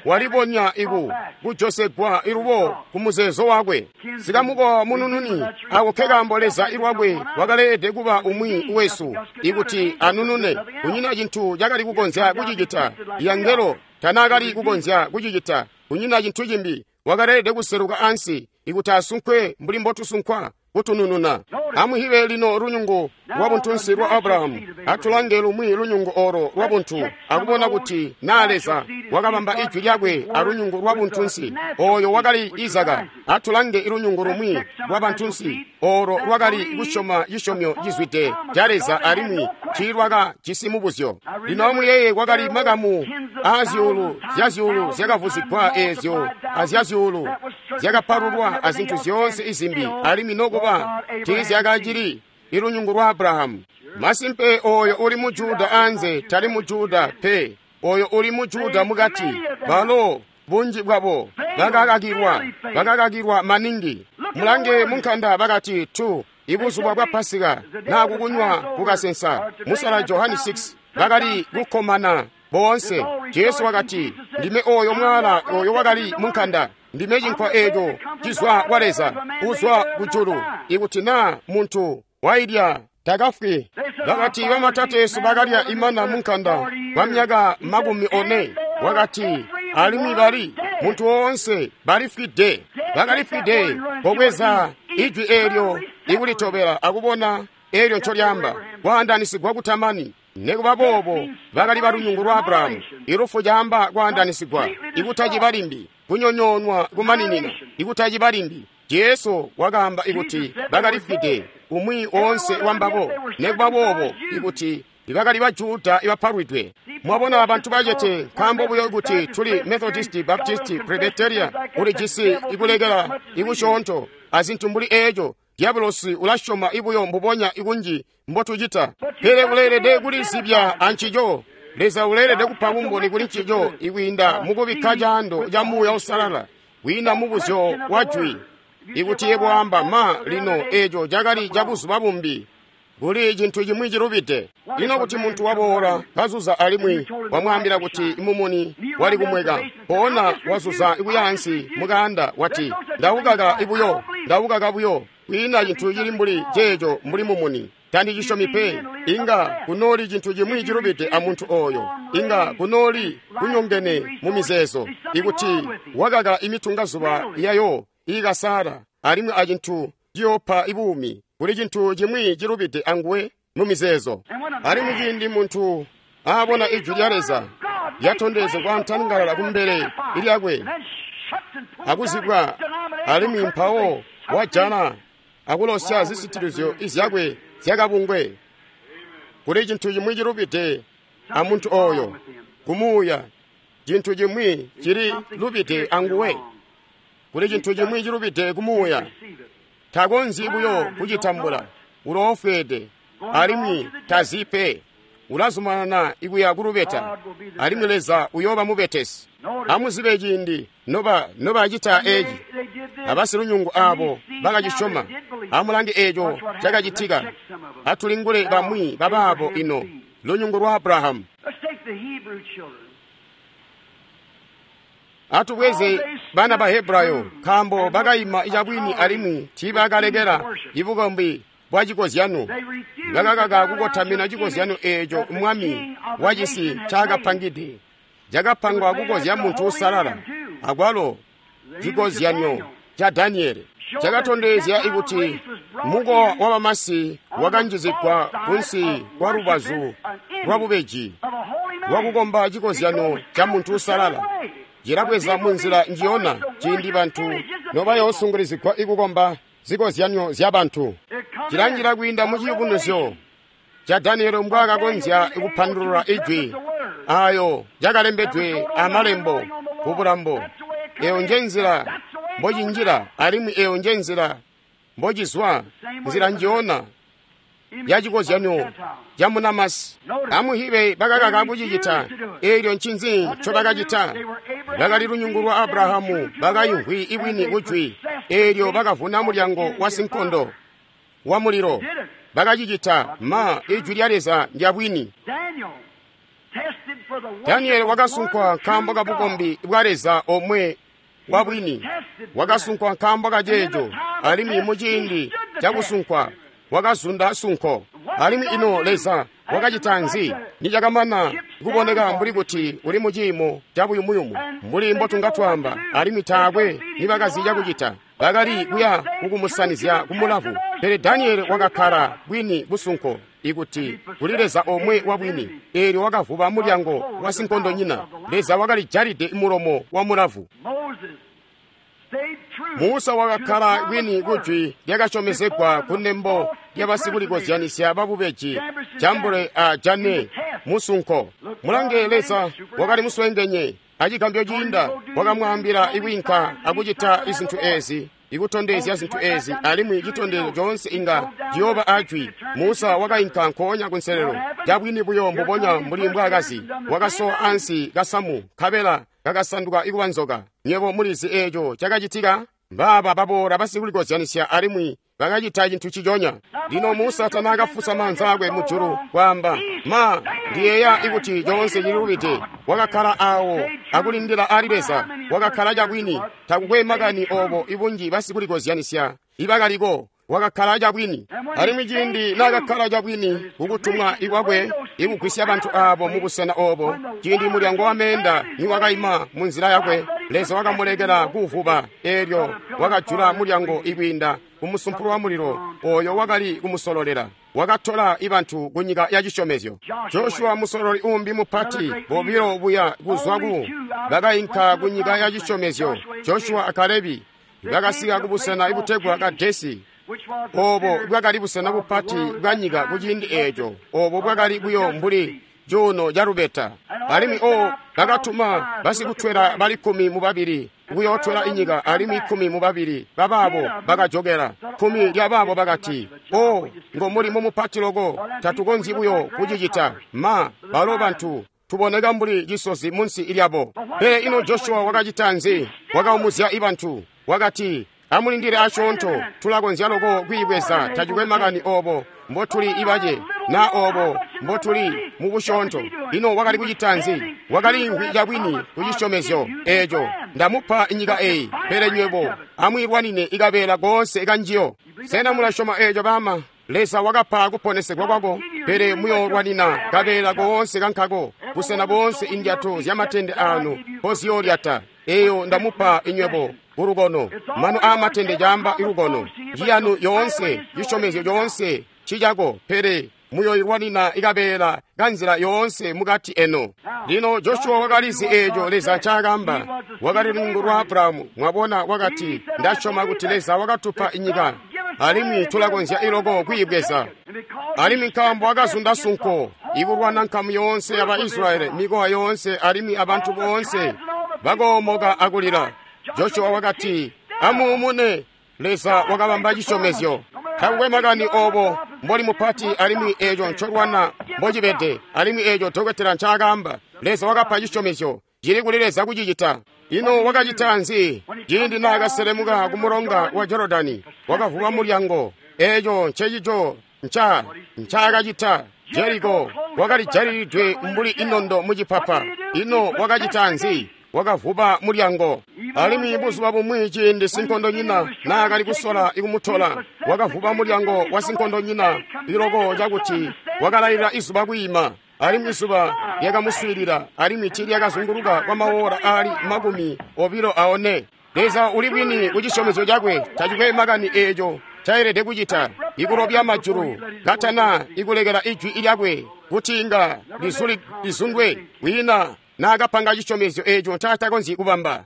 walibonya iku kujosegwa ilubo ku muzeezo wakwe. Sikamukowa munununi ako nkekaambo Leza ilwakwe wakaleelede kuba umwi wesu ikuti anunune. Kunyina cintu cakali kukonzya kucicita. Yangelo tanaakali kukonzya kucicita. Kunyina cintu cimbi. Wakaleelede kuseluka ansi ikuti asunkwe mbuli mbotusunkwa kutunununa. Amuhibe lino lunyungu lwa buntunsi lwa Abrahamu. Atulange lumwi lunyungu oro lwa buntu akubona kuti naa Leza wakabamba ijwi lyakwe alunyungu lwa buntunsi oyo wakali Izaka. Atulange ilunyungu lumwi lwa bantunsi oro lwakali kusyoma cisyomyo cizwide ca Leza alimwi tiilwakajisi mubuzyo. Lino amuyeeye, kwakali makamu aazyuulu zyazyuulu zyakavuzigwa eezyo azyazyuulu zyakapalulwa azintu zyoonse izimbi, alimwi nokuba tiizyakacili ilunyungu lwa Abrahamu. Masimpe oyo uli mu Juda anze tali mu Juda pe, oyo uli mu Juda mukati. Balo bunji bwabo bakakakilwa, bakakakilwa maningi. Mulange munkanda bakati tu ibuzuba bwa Pasika naa kukunywa kukasensa. Musala Johani six bakali kukkomana boonse. Jesu wakati, ndime oyo mwala oyo wakali munkanda, ndime cinkwa eeco cizwa kwa Leza uzwa kujulu. Ikuti naa muntu wailya takafwi. Bakati bamatateesu bakalya imana munkanda kwa myaka makumi one. Wakati alimwi bali muntu woonse balifwide, bakalifwide. Kobweza ijwi eelyo ikulitobela akubona eelyo ncolyaamba, kwaandanisigwa kutamani. Nikuba boobo bakali balunyungu lwa Abrahamu. Ilufu caamba kwaandanisigwa, ikutaciba limbi, kunyonyoonwa kumaninina, ikutaciba limbi. Jesu wakaamba ikuti bakalifwide umwi oonse wambabo. Nikuba boobo ikuti bakali ba Juda ibapalwidwe. Mwabona abantu bacete nkaambo buyo kuti tuli Methodist, Baptist, Presbyterian, ulijisi ikulekela ikusyoonto azintu mbuli eeco. Diabolosi ulasyoma ibuyo mbubonya ikunji mbotucita, pele uleelede kulizibya ancico. Leza uleelede kupa bumboni kuli ncico ikwiinda mukubikka caando ca Muuya Uusalala kwiinda mubuzyo wa jwi. Ikuti yebo amba ma lino eeco cakali cabuzuba bumbi, kuli cintu cimwi cilubide. Lino kuti muntu waboola kazuza alimwi wamwaambila kuti mumuni wali kumweka, mpoonya wazuza ikuyaansi mukaanda wati, ndawukaka ibuyo, ndawukaka buyo, kwiina cintu cili mbuli ceeco mbuli mumuni, tandicisyomi pe. Inga kunooli cintu cimwi cilubide amuntu oyo, inga kunooli kunyongene mu mizeezo. Ikuti wakaka imitungazuba yayo iikasala alimwi acintu ciyoopa ibuumi, kuli cintu cimwi cilubide anguwe mu mizeezo. Alimwi ciindi muntu aabona ijwi lya Leza lyatondezegwa ntangalala kumbele lyakwe akuzibwa, alimwi mpawo wajana akulosya zisitilizyo izyakwe zyakabungwe, kuli cintu cimwi cilubide amuntu oyo kumuuya. Cintu cimwi cili lubide anguwe. Kuli cintu cimwi cilubide kumuuya. Takonzyi buyo kucitambula. Uloofweede alimwi tazi pe. Ulazumanana ikuya kulubeta, alimwi Leza uyooba mubetesi. Amuzibe ciindi noba nobacita eeci, abasilunyungu aabo bakacisyoma. Amulange eeco cakacitika. Atulingule bamwi babaabo ino, lunyungu lwa Abrahamu. Atubweze bana ba Hebrayo, nkaambo bakaima cabwini alimwi tiibakalekela ibukombi bwa cikozyano. Bakakaka kukotamina cikozyano eeco mwami wacisi ncaakapangide. Cakapangwa kukozya muntu uusalala, akwalo cikozyanyo ca Daniele cakatondezya ikuti mukowa wabamasi wakanjizigwa kunsi kwa lubazu lwabubeji lwakukomba cikozyano ca muntu uusalala. Cilabweza munzila njiyona ciindi bantu nobayoosungulizigwa ikukomba zikozyanyo zya bantu. Cilanjila kwiinda mu ciyubunuzyo ca Daniele mbwaakakonzya kupandulula ijwi Ayo cakalembedwe amalembo kubulambo. Eyo nje nzila mbocinjila alimwi eyo nje nzila mbocizwa, nzila njiona ya cikozyanyo ca munamasi. Amuhibe bakakaka kucicita. Eelyo ncinzi ncobakacita? Bakali lunyungu lwa Abrahamu, bakayimvwi ibwini kujwi. Eelyo bakavuna mulyango wa sinkondo wa mulilo. Bakacicita. Ma, ijwi lya Leza ndya bwini. Danieli wakasunkwa nkaambo ka bukombi bwa Leza omwe wa bwini. Wakasunkwa nkaambo ka ceeco, alimwi muciindi cakusunkwa wakazunda sunko. Alimwi ino Leza wakacita nzi? Nicakamana kuboneka mbuli kuti uli muciimo cabuyumuyumu, mbuli mbotunga twaamba, alimwi taakwe nibakazi cakucita. Bakali kuya kukumusanizya kumulavu. Pele Danieli wakakkala bwini busunko, ikuti kuli Leza omwe wa bwini. Eelyo wakavuba mulyango wa sinkondonyina. Leza wakalijalide mulomo wa mulavu. Musa wakakkala bwini kujwi lyakasyomezegwa kunembo lyabasikulikozyanisya babubeji Jambure a Jane musunko. Mulange, Leza wakali muswengenye acigambyo ciinda, wakamwaambila ikwiinka akucita izintu ezi, ikutondezya zintu ezi, alimwi citondezyo coonse inga ciyooba ajwi. Musa wakainka nkoonya kunselelo cabwini buyo mbubonya mbuli mbwaakazi. Wakasowa ansi kasamu, nkabela kakasanduka ikuba nzoka. Nywebo mulizi eeco cakacitika? Mbaaba baboola basikulikozyanisya alimwi bakacita cintu ciconya. Lino Musa tanaakafusa maanza akwe mujulu kwaamba, ma, ndiyeeya ikuti coonse cililubide. Wakakkala awo akulindila ali Leza. Wakakkala cabwini. Takukwe makani obo ibunji basikulikozyanisya ibakaliko. Wakakkala cabwini. Alimwi ciindi naakakkala cabwini kukutumwa ikwakwe ikugwisya bantu aabo mubusena obo, ciindi mulyango wa meenda niwakaima munzila yakwe, Leza wakamulekela kuuvuba. Eelyo wakajula mulyango ikwiinda kumusumpulu wa mulilo oyo wakali kumusololela. Wakatola ibantu kunyika ya cisyomezyo. Joshua musololi umbi mupati, bobilo buya kuzwa ku bakainka kunyika ya cisyomezyo. Joshua a Kalebi bakasika kubusena ibutegwa Kadesi. Obo bwakali busena bupati bwa nyika kuciindi eeco. Obo bwakali buyo mbuli cuuno ca lubeta. Alimwi o bakatuma basikutwela bali kkumi mubabili kuyootwela inyika, alimwi kkumi mubabili babaabo bakajokela. Kkumi lyabaabo bakati, o ngo mulimo mupati loko, tatukonzyi buyo kucicita. Ma, balo bantu tuboneka mbuli cisozi munsi lyabo. Pele ino Joshua wakacita nzi? Wakaumuzya ibantu. Wakati, amulindile asyoonto, tulakonzya loko kwiibweza. Tacikwe makani obo mbotuli ibace na obo mbotuli mubusyoonto. Ino wakali kucita nzi? Wakaliimvwi cabwini kucisyomezyo eeco. Ndamupa inyika eyi, pele nywebo amwiilwanine ikabeela koonse kanjiyo. Sena mulasyoma eeco bama? Leza wakapa kuponesegwa kwako, pele muyoolwanina kabeela koonse kankako, busena boonse indyato zyamatende anu mpoziyolyata. Eyo ndamupa inywebo kulukono. Mano aamatende caamba ilukono. Njiyanu yoonse, cisyomezyo coonse cicako, pele muyoilwanina ikabeela kanzila yoonse mukati eno. Lino Joshua wakalizi eeco Leza ncaakamba. Wakali lunyungu lwa Abrahamu. Mwabona, wakati, ndasyoma kuti Leza wakatupa inyika, alimwi tulakonzya iloko kwiibweza. Alimwi nkaambo wakazunda sunko, ikulwana nkamu yoonse yaba Israyeli, mikowa yoonse alimwi abantu boonse bakoomoka akulila. Joshua wakati, amuumune. Leza wakabamba cisyomezyo. Takukwe makani obo mboli mupati, alimwi eeco ncolwana mbocibede, alimwi eeco dokotela ncaakaamba. Leza wakapa cisyomezyo. Cili kuli Leza kucicita. Ino wakacita nzi? Ciindi naakaselemuka kumulonga wa Jorodani, wakavuba mulyango. Eeco ncecico nca ncaakacita. Jeriko wakalijalilidwe mbuli inondo mucipapa. Ino wakacita nzi? Wakavuba mulyango. Alimwi buzuba bumwi ciindi sinkondonyina naakali kusola ikumutola, wakavuba mulyango wa sinkondonyina iloko cakuti wakalailila izuba kwiima. Alimwi izuba lyakamuswiilila, alimwi tiilyakazunguluka kwa mawola aali makumi obilo aone. Leza uli bwini kucisyomezyo cakwe. Tacikwe makani eeco cayelede kucita, ikulobya majulu katana ikulekela ijwi lyakwe kuti inga lizundwe. Kwiina naakapanga cisyomezyo eeco ncaatakonzyi kubamba.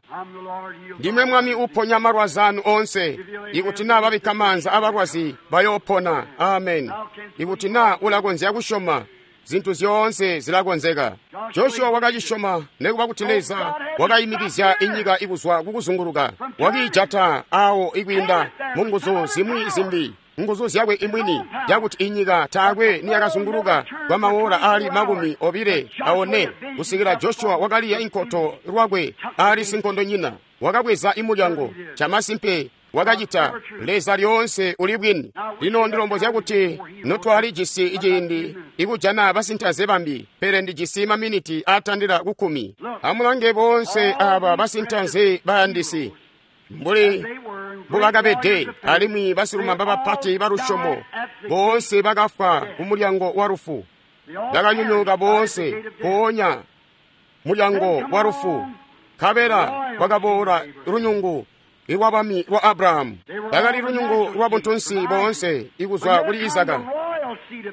Ndimwe Mwami uponya malwazi anu onse. Ikuti naa babikka maanza abalwazi bayoopona. Amen. Ikuti naa ulakonzya kusyoma, Zintu zyoonse zilakonzeka. Joshua wakacisyoma nekuba kuti Leza wakayimikizya inyika ikuzwa kukuzunguluka, wakiijata awo ikwiinda mu nguzu zimwi zimbi, nguzu zyakwe imwini, yakuti inyika taakwe niyakazunguluka kwa maora ali makumi obile aone kusikila Joshua wakaliya inkoto lwakwe ali sinkondonyina, wakabweza imulyango. Chamasimpe wakacita. Leza lyoonse uli bwini. Lino ndilombozya kuti notwali jisi ciindi ikujana basintaze bambi, pele ndijisi maminiti atandila kukkumi. Amulange boonse aba basintaze bayandisi mbuli mbubakabede, alimwi basilumamba bapati balusyomo boonse bakafwa kumulyango wa lufu, bakanyonyooka boonse mpoonya mulyango wa lufu. Nkabela kwakaboola lunyungu lwabami lwa Abrahamu. Bakali lunyungu lwa buntunsi boonse ikuzwa kuli Izaka,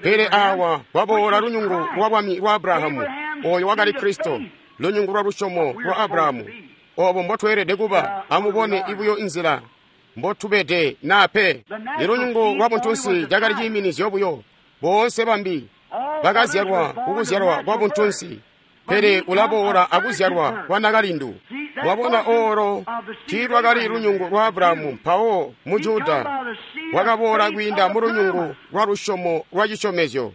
pele awa kwaboola lunyungu lwa bwami lwa Abrahamu, oyo wakali Kristo, lunyungu lwa lusyomo lwa Abrahamu. Obo mbotweelede kuba. Amubone ibuyo inzila mbotubede naa pe. Ilunyungu lwa buntunsi cakali ciiminizyo buyo. Boonse bambi bakazyalwa kukuzyalwa kwa buntunsi, pele ulaboola akuzyalwa kwa nakalindu. Mwabona, olo tiilwakali lunyungu lwa Abrahamu. Mpawo mu Juda wakaboola kwiinda mu lunyungu lwa lusyomo lwa cisyomezyo,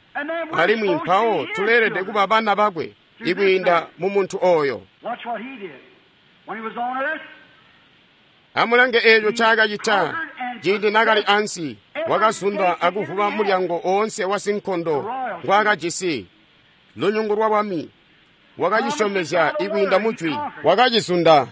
alimwi mpawo tuleelede kuba bana bakwe ikwiinda mu muntu oyo. Amulange eeco ncaakacita ciindi naakali ansi. Wakazunda akuvuba mulyango oonse wa sinkondo ngwaakajisi, lunyungu lwa bwami. Wakacisyomezya ikwiinda mujwi, wakacizunda.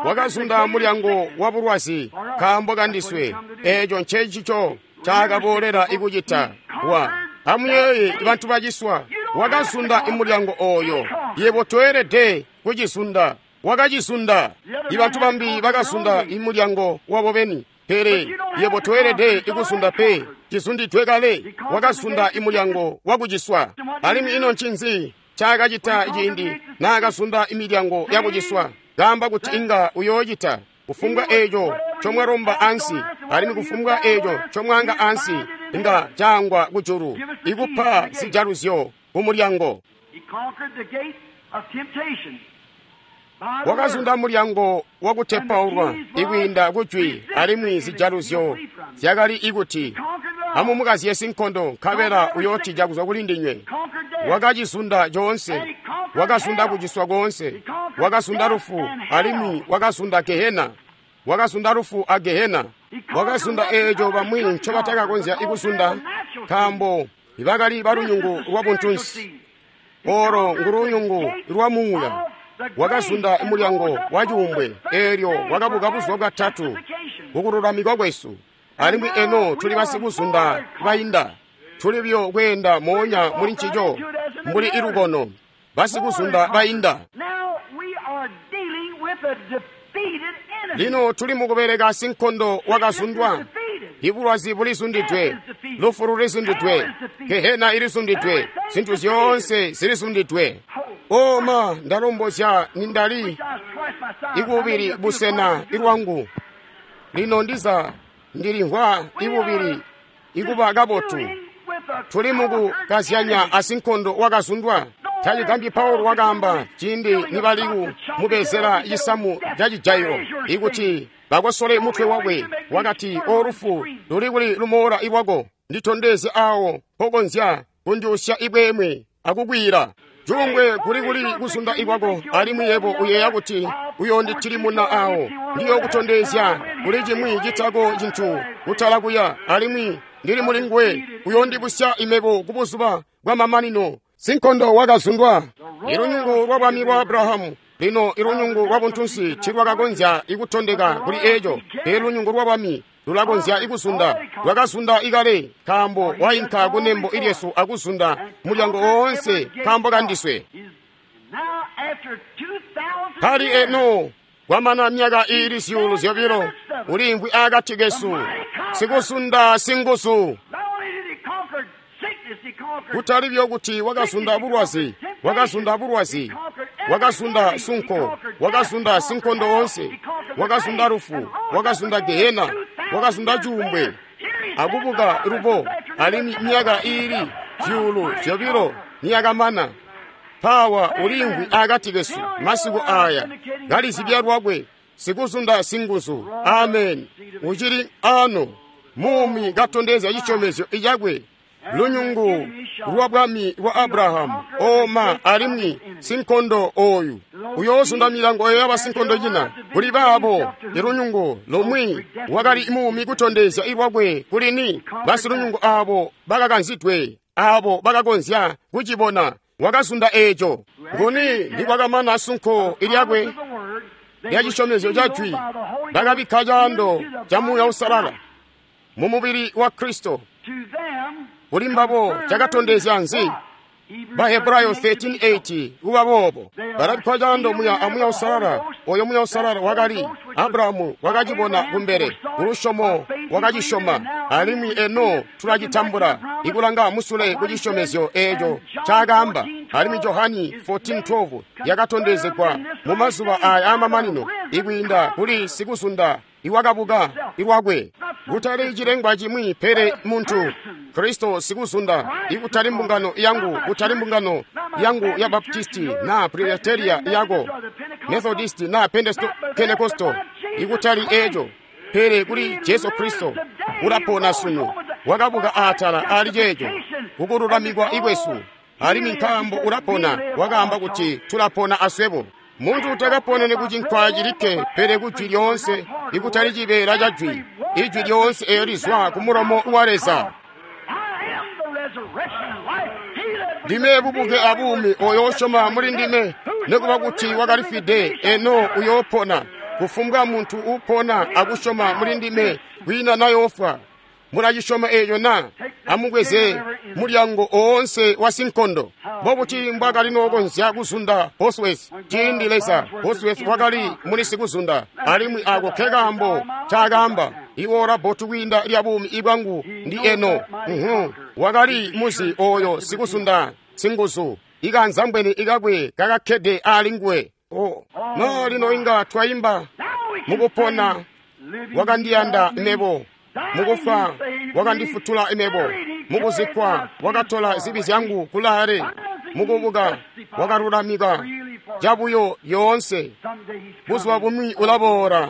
Wakazunda mulyango wa bulwazi nkaambo kandiswe. Eeco ncencico ncaakaboolela ikucita. Wa amuyeeye bantu baciswa. Wakazunda imulyango oyo. Yebo toelede kucizunda, wakacizunda. Ibantu bambi bakazunda imulyango wabo beni, pele yebo toelede ikuzunda pe. Cizundidwe kale. Wakazunda imulyango wakuciswa. Alimwi ino ncinzi ncaakacita ciindi naakazunda imilyango yakuciswa? Kaamba kuti inga uyoocita kufumbwa eeco ncomwalomba ansi, alimwi kufumbwa eeco ncomwaanga ansi inga caangwa kujulu, ikupa zijaluzyo kumulyango. Wakazunda mulyango wakutepaulwa ikwiinda kujwi, alimwi zijaluzyo zyakali ikuti amumukazye sinkondo, nkabela uyootija kuzwa kuli ndinywe. Wakacizunda coonse. Wakazunda kuciswa koonse. Wakazunda lufu, alimwi wakazunda Gehena. Wakazunda lufu a Gehena. Wakazunda eeco bamwi ncobatakakonzya ikuzunda, nkaambo bakali balunyungu lwa buntunsi. Olo ngulunyungu lwa muuya. Wakazunda mulyango wa cuumbwe, eelyo wakabuka buzuba bwatatu kukululamikwa kwesu. Alimwi eno tuli basikuzunda bainda. Tuli buyo kweenda moonya muli ncico mbuli ilukono, basikuzunda bainda. Lino tuli mukubeleka sinkondo wakazundwa. Ibulwazi bulizundidwe, lufu lulizundidwe, Gehena ilizundidwe, zintu zyoonse zilizundidwe. Oma ndalombozya nindali ikubili busena ilwangu. Lino ndiza ndilimvwa ibubili ikuba kabotu. Tuli mukukazyanya asinkondo wakazundwa. Tacigambyi Paulo wakaamba ciindi nibali kumubezela cisamu ca cijailo ikuti bakosole mutwe wakwe, wakati, "O lufu, luli kuli lumoola iwako? Nditondezye awo mpokonzya kundyusya ibwemwe akukwiila. Cuumbwe kuli kuli kuzunda ikwako, alimwi yebo uyeeya kuti uyonditilimuna awo. Ndiyokutondezya kuli cimwi citako cintu kutala kuya, alimwi ndili muli nguwe uyondibusya imebo kubuzuba bwa mamanino." Sinkondo wakazundwa. Ilunyungu lwa bwami lwa Abrahamu. Lino ilunyungu lwa buntunsi tilwakakonzya ikutondeka kuli eeco, pele lunyungu lwa bwami lulakonzya ikuzunda. Lwakazunda ikale, nkaambo wainka kunembo ilyesu akuzunda mulyango woonse nkaambo kandiswe. Pali eno kwamana myaka iili zyuulu zyobilo uliimvwi akati kesu, sikuzunda singuzu. Kutali buyo kuti wakazunda bulwazi, wakazunda bulwazi, wakazunda sunko, wakazunda sinkondo wonse, wakazunda lufu, wakazunda Gehena, wakazunda cuumbwe, akubuka lubo, alimwi myaka iili zyuulu zyobilo niyakamana. Mpaawa uliimvwi akati kesu masiku aya kalizibya lwakwe sikuzunda singuzu. Ameni. Ucili ano muumi katondezya cisyomezyo cakwe, lunyungu lwa bwami bwa Abrahamu. Oma alimwi sinkondo oyu uyoozunda milango eyo yabasinkondonyina. Kuli baabo ilunyungu lomwe wakali muumi kutondezya ilwakwe kulini basilunyungu abo bakakanzidwe, abo bakakonzya kucibona. Wakazunda eeco. Nguni nikwakamana sunko ilyakwe lya cisyomezyo ca jwi, bakabikka caando ca Muuya Uusalala mu mubili wa Kristo. Kuli mbabo cakatondezya nzi? Bahebrayo thirteen eight kuba boobo balabikkwa caando muya a Muuya Uusalala. Oyo Muuya Uusalala wakali Abrahamu wakacibona kumbele, kulusyomo wakacisyoma, alimwi eno tulacitambula ikulanga musule ku cisyomezyo eeco ncaakaamba. Alimwi Johani fourteen twelve yakatondezegwa mu mazuba aya aamamanino ikwiinda kuli sikuzunda iwakabuka ilwakwe, kutali cilengwa cimwi pele muntu Kristo sikuzunda, ikutali mbungano yangu, kutali mbungano yangu ya Baptisti na Presbyteria yako, Methodist na Pentecostal, ikutali eeco, pele kuli Jesu Kristo ulapona sunu, wakabuka atala ali ceeco kukululamikwa ikwesu. Alimwi nkaambo ulapona, wakaamba kuti tulapona aswebo. Muntu takaponene ku cinkwa cilikke, pele ku jwi lyoonse, ikutali cibeela ca jwi, ijwi lyoonse eyo lizwa ku mulomo wa Leza. Ndime bubuke abuumi, oyo osyoma muli ndime, nekuba kuti wakalifwide, eno uyoopona. Kufumbwa muntu uupona akusyoma muli ndime, kwiina nayoofwa. Mulacisyoma eeco na? Amubweze mulyango oonse wa sinkondo. Mbobuti mbwakali nookonzya kuzunda Bosworth ciindi Leza? Bosworth wakali muli sikuzunda, alimwi ako ke kaambo ncaakaamba: iwoola bbotu kwiinda lya buumi bwangu ndi eno. Uhu. Wakali muzi oyo sikuzunda singuzu, ikanzambweni ikakwe kakakkede ali nguwe. Oh, no lino inga twayimba mukupona wakandiyanda mebo, mukufa wakandifutula mebo, mukuzikkwa wakatola zibi zyangu kulaale, mukubuka wakalulamika cabuyo yoonse. Buzuba bumwi ulaboola,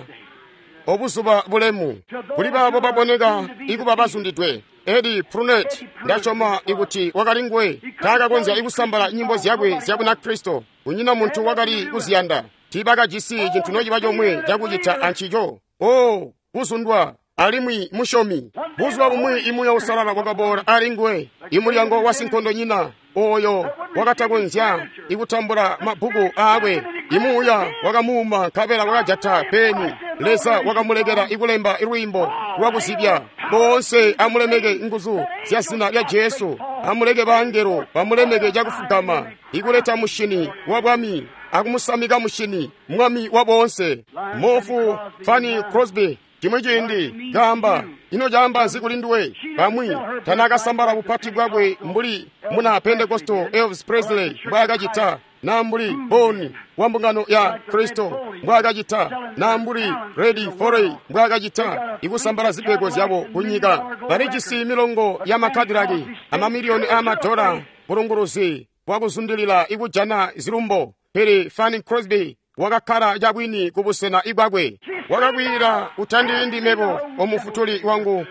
obuzuba bulemu kuli baabo baboneka ikuba bazundidwe. Eddie Prunet, ndasyoma ikuti wakali nguwe, taakakonzya ikusambala nyimbo zyakwe zya Bunakristo. Kunyina muntu wakali kuziyanda, tiibakajisi cintu nociba comwe cakucita ancico. Oh, kuzundwa alimwi musyomi. Buzuba bumwi imuuya Uusalala wakaboola ali nguwe, imulyango wa sinkondonyina oyo wakatakonzya ikutambula mabbuku aakwe. Imuuya wakamuuma nkabela wakajata peni. Leza wakamulekela ikulemba lwiimbo lwakuzibya. Boonse amulemeke nguzu zya zina lya Jesu, amuleke bangelo bamulemeke cakufugama, ikuleta mushini wa bwami akumusamika mushini mwami wa boonse. Mofu Fanny Crosby chimwe ciindi kaamba, ino caamba nzi kuli nduwe? Bamwi tanakasambala bupati bwakwe mbuli muna Pentecostal Elvis Presley mbwaakacita, na mbuli Boni wa mbungano ya Kristo mbwaakacita, na mbuli Reddy Forey mbwaakacita, ikusambala zipego zyabo kunyika. Balijisi milongo ya makadilaki amamiliyoni aamadola, bulunguluzi bwakuzundilila ikujana zilumbo. Pele Fanny Crosby wakakkala cabwini ku busena ibwakwe. Wakakwila, utandiindi mebo, omufutuli wangu,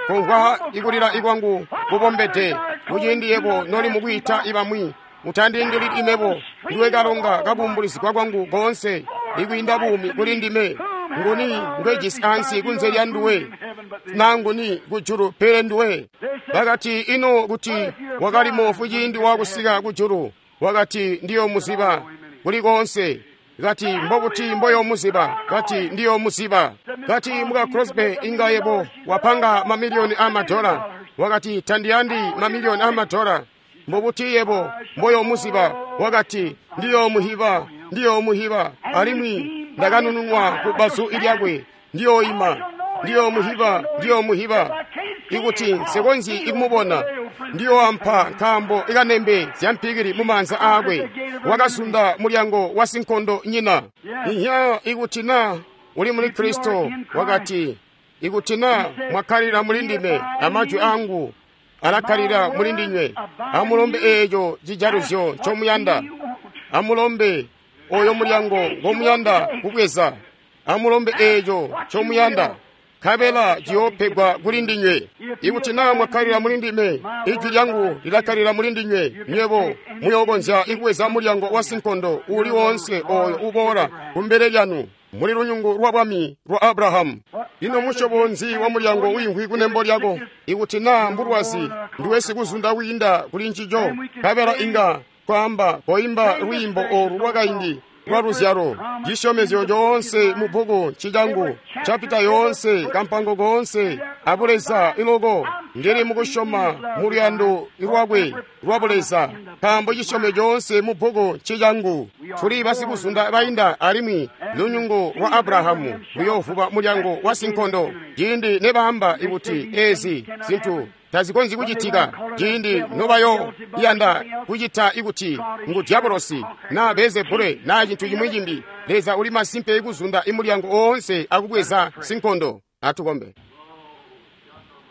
kumvwa ikulila ikwangu kubombede. Kuciindi yebo noli mukwiita ibamwi, utandiindilili imebo, ndiwe kalonga kabumbulizigwa kwangu koonse, ikwiinda buumi kuli ndime. Nguni ngwejisi ansi kunze lya nduwe, na nguni kujulu pele nduwe? Bakati, ino kuti wakali mofu ciindi wakusika kujulu? Wakati, ndiyomuziba kuli koonse. Kati, mbobuti mboyomuziba? Kati, ndiyomuziba. Kati, muka Crosby, inga yebo wapanga mamiliyoni amadola. Wakati, tandiyandi mamiliyoni amadola. Mbobuti yebo mboyomuziba? Wakati, ndiyomuhiba, ndiyomuhiba, alimwi ndakanununwa ku bazu lyakwe. Ndiyoima, ndiyomuhiba, ndiyomuhiba. Ikuti nsekonzyi ikumubona, ndiyoampa nkaambo ikanembe zya mpikili mu maanza aakwe. Wakazunda mulyango wa sinkondo nyina. Inya, ikuti na uli muli Kristo, wakati, ikuti na mwakkalila muli ndime amajwi angu alakkalila muli ndinywe, amulombe eeco cijaluzyo ncomuyanda. Amulombe oyo mulyango ngomuyanda kubweza. Amulombe eeco ncomuyanda, nkabela ciyoopegwa kuli ndinywe. Ikuti naa mwakkalila muli ndime, ijwi lyangu lilakkalila muli ndinywe, nywebo muyookonzya ikubweza mulyango wa sinkondo uuli woonse ooyo uboola kumbele lyanu. Muli lunyungu lwa bwami lwa Abrahamu. Ino musyobo nzi wa mulyango wiimvwi kunembo lyako? Ikuti naa mbulwazi, ndiwe sikuzunda wiinda kuli ncico, nkabela inga kwaamba koimba lwiimbo oolu lwakaindi lwa luzyalo. Cisyomezyo coonse mu bbuku ncicangu, capita yoonse, kampango koonse abuleza iloko. Ndili mukusyoma mu luyando lwakwe lwa buleza, nkaambo cisyomezyo coonse mu bbuku ncicangu. Tuli basikuzunda bainda, alimwi lunyungu lwa Abrahamu luyoovuba mulyango wa sinkondo. Ciindi nebaamba ikuti eezi zintu tazikonzyi kucitika, ciindi nobayo yanda kucita ikuti ngu diabolosi naa Beelzebule naa cintu cimwi cimbi, Leza uli masimpe ikuzunda imulyango oonse akubweza sinkondo. Atukombe.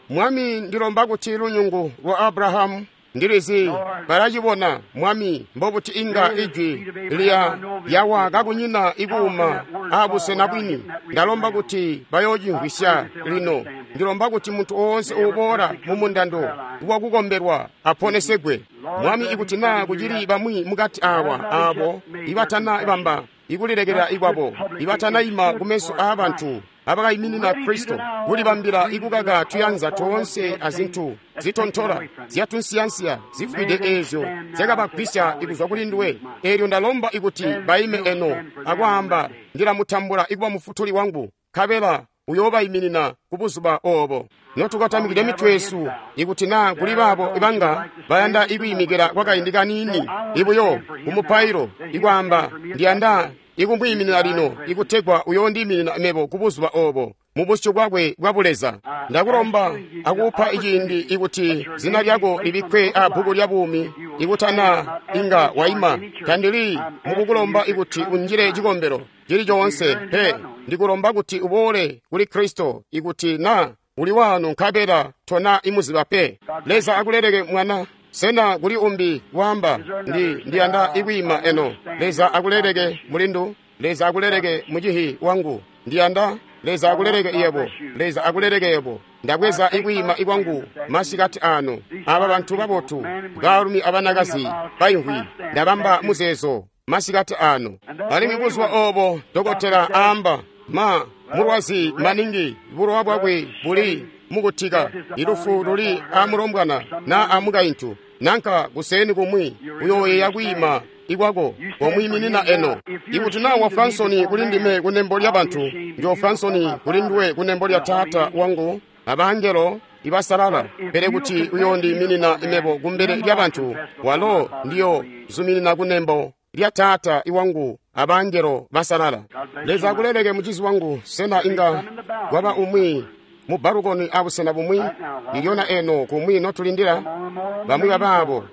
Mwami, ndilomba kuti lunyungu lwa Abrahamu, ndilizi balacibona, Mwami, mbobuti inga ijwi lya yawa kakunyina ikuuma abusena bwini. Ndalomba kuti bayoocimvwisya lino. Ndilomba kuti muntu oonse uuboola mu mundando wakukombelwa aponesegwe. Mwami, ikuti naa kucili bamwi mukati awa aabo ibatana bamba ikulilekela ikwabo, ibatanaima kumeso aabantu abakaiminina Kristo, kulibambila ikukaka tuyanza toonse azintu zitontola zyatunsiyansiya zifwide eezyo zyakabagwisya ikuzwa kuli nduwe. Eelyo ndalomba ikuti baime eno akwaamba, ndilamutambula ikuba mufutuli wangu, nkabela uyoobayiminina ku buzuba oobo. Notukatamikide mitwe yesu, ikuti naa kuli baabo ibanga bayanda ikwiimikila kwakaindi kaniini ibuyo kumupailo, ikwaamba, ndiyanda ikumwiiminina lino, ikutegwa uyoondiiminina mebo ku buzuba oobo mu busyu bwakwe bwa buleza. Ndakulomba akupa iciindi ikuti zina lyako libikkwe abbuku lya buumi. Ikutana inga waima, tandili mukukulomba ikuti unjile cikombelo cili coonse pe. Ndikulomba kuti uboole kuli Kristo ikuti naa uli wano nkabela tona imuziba pe. Leza akuleleke mwana. Sena kuli umbi waamba, ndi ndiyanda ikwiima eno? Leza akuleleke mulindu. Leza akuleleke mucihi wangu. Ndiyanda. Leza akuleleke yebo. Leza akuleleke yebo. Ndabweza ikwiima ikwangu masikati ano. Aba bantu babotu, baalumi abanakazi baimvwi, ndabamba muzeezo masikati ano. Alimwi buzuba oobo dokotela aamba, ma mulwazi maningi, bulowa bwakwe buli mukutika, ilufu luli amulombwana na amukaintu, nanka kuseni kumwi uyooyeya kwiima ikwako komwiiminina eno. Ikuti naa wa Fransoni kuli ndime kunembo lya bantu, njo Fransoni kuli nduwe kunembo lya Taata wangu abangelo ibasalala. Pele kuti uyoondiiminina mebo kumbele lya bantu, walo ndiyo zuminina kunembo lya Taata iwangu abangelo basalala. Leza akuleleke mucizi wangu. Sena inga kwaba umwi mu balukoni abusena bumwi ilyona eno kumwi notulindila bamwi babaabo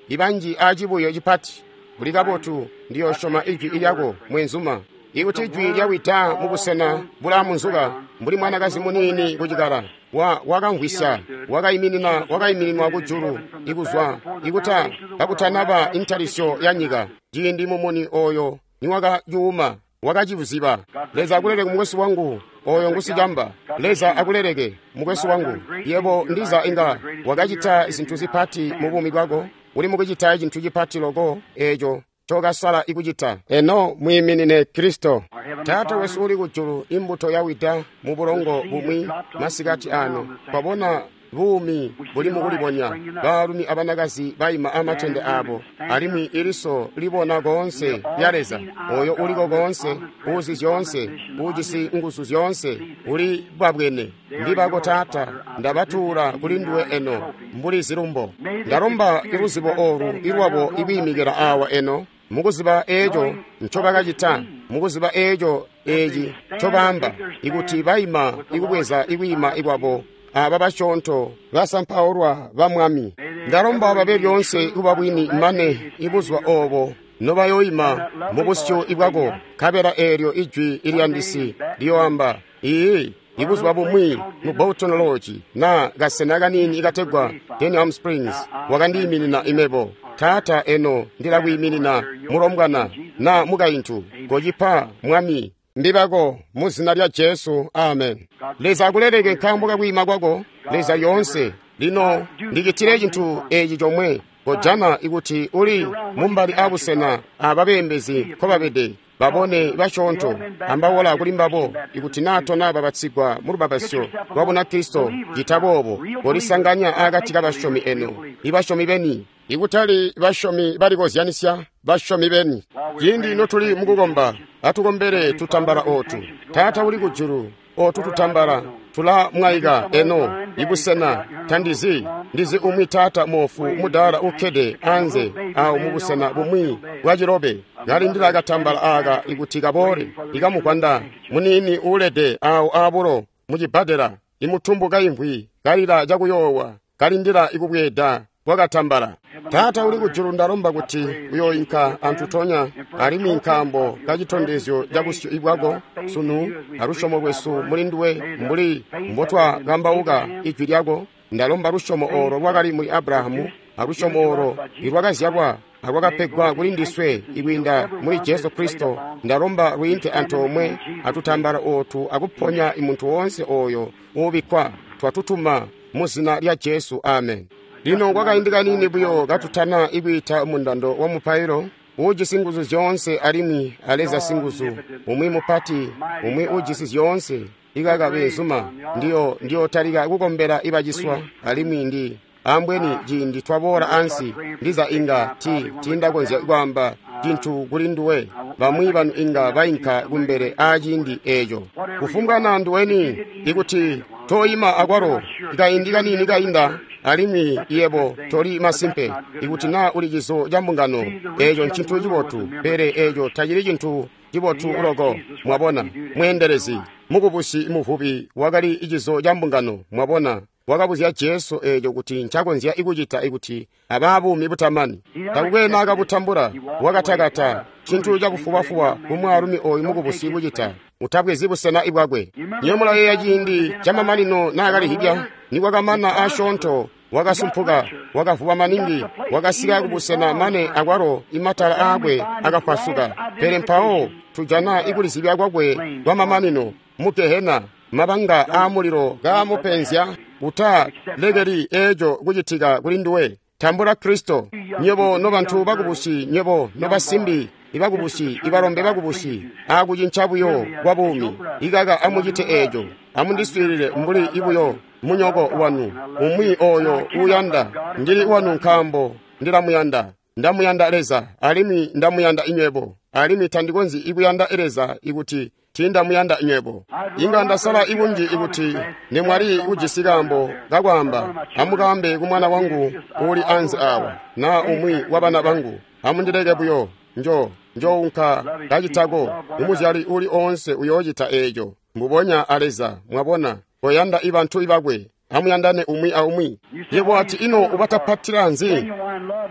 ibanji acibuyo cipati? Buli kabotu, ndiyosyoma ijwi lyako mwenzuma. Ikuti ijwi lyawida mubusena bulaamunzuka mbuli mwanakazi muniini kucikala, wa wakamvwisya, wakaiminina wakaimininwa kujulu ikuzwa ikuta kakutanaba intalisyo ya nyika. Ciindi mumuni oyo niwakayuma wakacibuziba. Leza akuleleke mukwesu wangu, oyo ngusicamba. Leza akuleleke mukwesu wangu. Yebo ndiza inga wakacita zintu zipati mu buumi bwako, uli mukucita cintu cipati loko eeco cokasala ikucita. Eno mwiiminine Kristo. Taata wesu uli kujulu, imbuto yawida mu bulongo bumwi masikati ano. Twabona buumi buli mukulibonya, baalumi abanakazi baima amatende abo, alimwi iliso libona koonse lya Leza, oyo uliko koonse, uzi zyoonse, ujisi nguzu zyoonse, uli bwabwene. Ndibako Taata, ndabatuula kuli nduwe eno mbuli zilumbo. Ndalomba iluzibo olu ilwabo ikwiimikila awa eno, mukuziba eeco ncobakacita, mukuziba eeco eeci ncobaamba, ikuti baima ikubweza ikwiima ikwabo aba basyoonto basampaulwa ba Mwami. Ndalomba babe lyoonse kuba bwini mane ibuzuba oobo nobayoima mu busyu bwako, nkabela eelyo ijwi ilyandisi liyoamba, Iiyi, Ibuzuba bumwi mu Bolton Lodge na kasena kaniini ikategwa Denham Springs, wakandiiminina imebo. Taata, eno ndilakwiiminina mulombwana na mukaintu. Kocipa, Mwami, ndibako mu zina lya Jesu. Amen. Leza akuleleke nkaambo kakwiima kwako. Leza lyoonse. Lino ndicitile cintu eci comwe. Kojana ikuti uli mumbali abusena ababeembezi nkobabede, babone basyoonto, ambawola kuli mbabo, ikuti naa tona babatsigwa mu lubapatizyo lwa Bunakristo, cita boobo, kolisanganya akati kabasyomi eno, ibasyomi beni, ikutali basyomi balikozyanisya, basyomi beni. Ciindi notuli mukukomba, atukombele tutambala ootu. Taata uli kujulu, ootu tutambala tulamwaika eno ibusena tandizi ndizi umwi taata moofu mudaala ukkede anze awo mubusena bumwi bwa cilobe kalindila katambala aka ikuti kaboole ikamukwanda muniini uulede awo aabulo mucibbadela imutumbu kaimvwi kalila cakuyoowa kalindila ikubweeda kwakatambala. Taata uli kujulu, ndalomba kuti uyooinka antutonya alimwi nkaambo kacitondezyo ca busyu bwako sunu alusyomo lwesu muli nduwe mbuli mbotwakambauka ijwi lyako. Ndalomba lusyomo oolo lwakali muli Abrahamu alusyomo oolo ilwakazyalwa alwakapegwa kuli ndiswe ikwiinda muli Jesu Kristo. Ndalomba lwiinke antoomwe atutambala ootu akuponya imuntu woonse ooyo uubikkwa. Twatutuma mu zina lya Jesu. Amen. Lino kwakaindi kaniini buyo katutana ikwiita mundando wa mupailo uujisi nguzu zyoonse alimwi aleza singuzu, umwi mupati, umwi uujisi zyoonse. Ikaka beenzuma, ndiyo ndiyotalika kukombela ibaciswa alimwi ndi ambweni ciindi twaboola ansi ndiza inga ti tiindakonzya kwaamba cintu kuli nduwe. Bamwi banu inga bainka kumbele aaciindi eeco. Kufumbwa na nduweni, ikuti toyima akwalo kaindi kaniini kainda alimwi yebo toli masimpe ikuti naa uli cizo ca mbungano, eeco ncintu cibotu, pele eeco tacili cintu cibotu loko. Mwabona, mweendelezi mukubusi muvubi wakali cizo ca mbungano. Mwabona, wakabuzya Jesu eeco kuti ncakonzya ikucita ikuti abaa buumi butamani. Takukwe naakabutambula, wakatakata cintu cakufubafuba kumwaalumi ooyu mukubusi kucita. Utabwezi busena bwakwe. Niyo mulayeeya ciindi camamanino naakalihibya, nikwakamana asyoonto wakasumpuka, wakavuba maningi, wakasika kubusena mane akwalo imatala aakwe akapwasuka. Pele mpawo tujana ikulizibya kwakwe kwamamanino mu Gehena, mabanga aamulilo kaamupenzya. Uta lekeli eeco kucitika kuli nduwe. Tambula Kristo. Nywebo nobantu bakubusi, nywebo nobasimbi ibakubusi, ibalombe bakubusi, aakucinca buyo kwa buumi, ikaka amucite eeco. Amundiswiilile mbuli ibuyo munyoko wanu, umwi ooyo uuyanda. Ndili wanu nkaambo ndilamuyanda. Ndamuyanda Leza alimwi ndamuyanda inywebo, alimwi tandikonzyi ikuyanda Leza ikuti tiindamuyanda inywebo. Inga ndasala ikunji ikuti nimwali kujisi kaambo kakwaamba, amukaambe kumwana wangu uuli anze awa, naa umwi wa bana bangu. Amundileke buyo, njo njounka kacitako. Umuzyali uli oonse uyoocita eeco mbubonya a Leza. Mwabona, koyanda ibantu ibakwe, amuyandane umwi aumwi. Yebo ati ino ubatapatila nzi?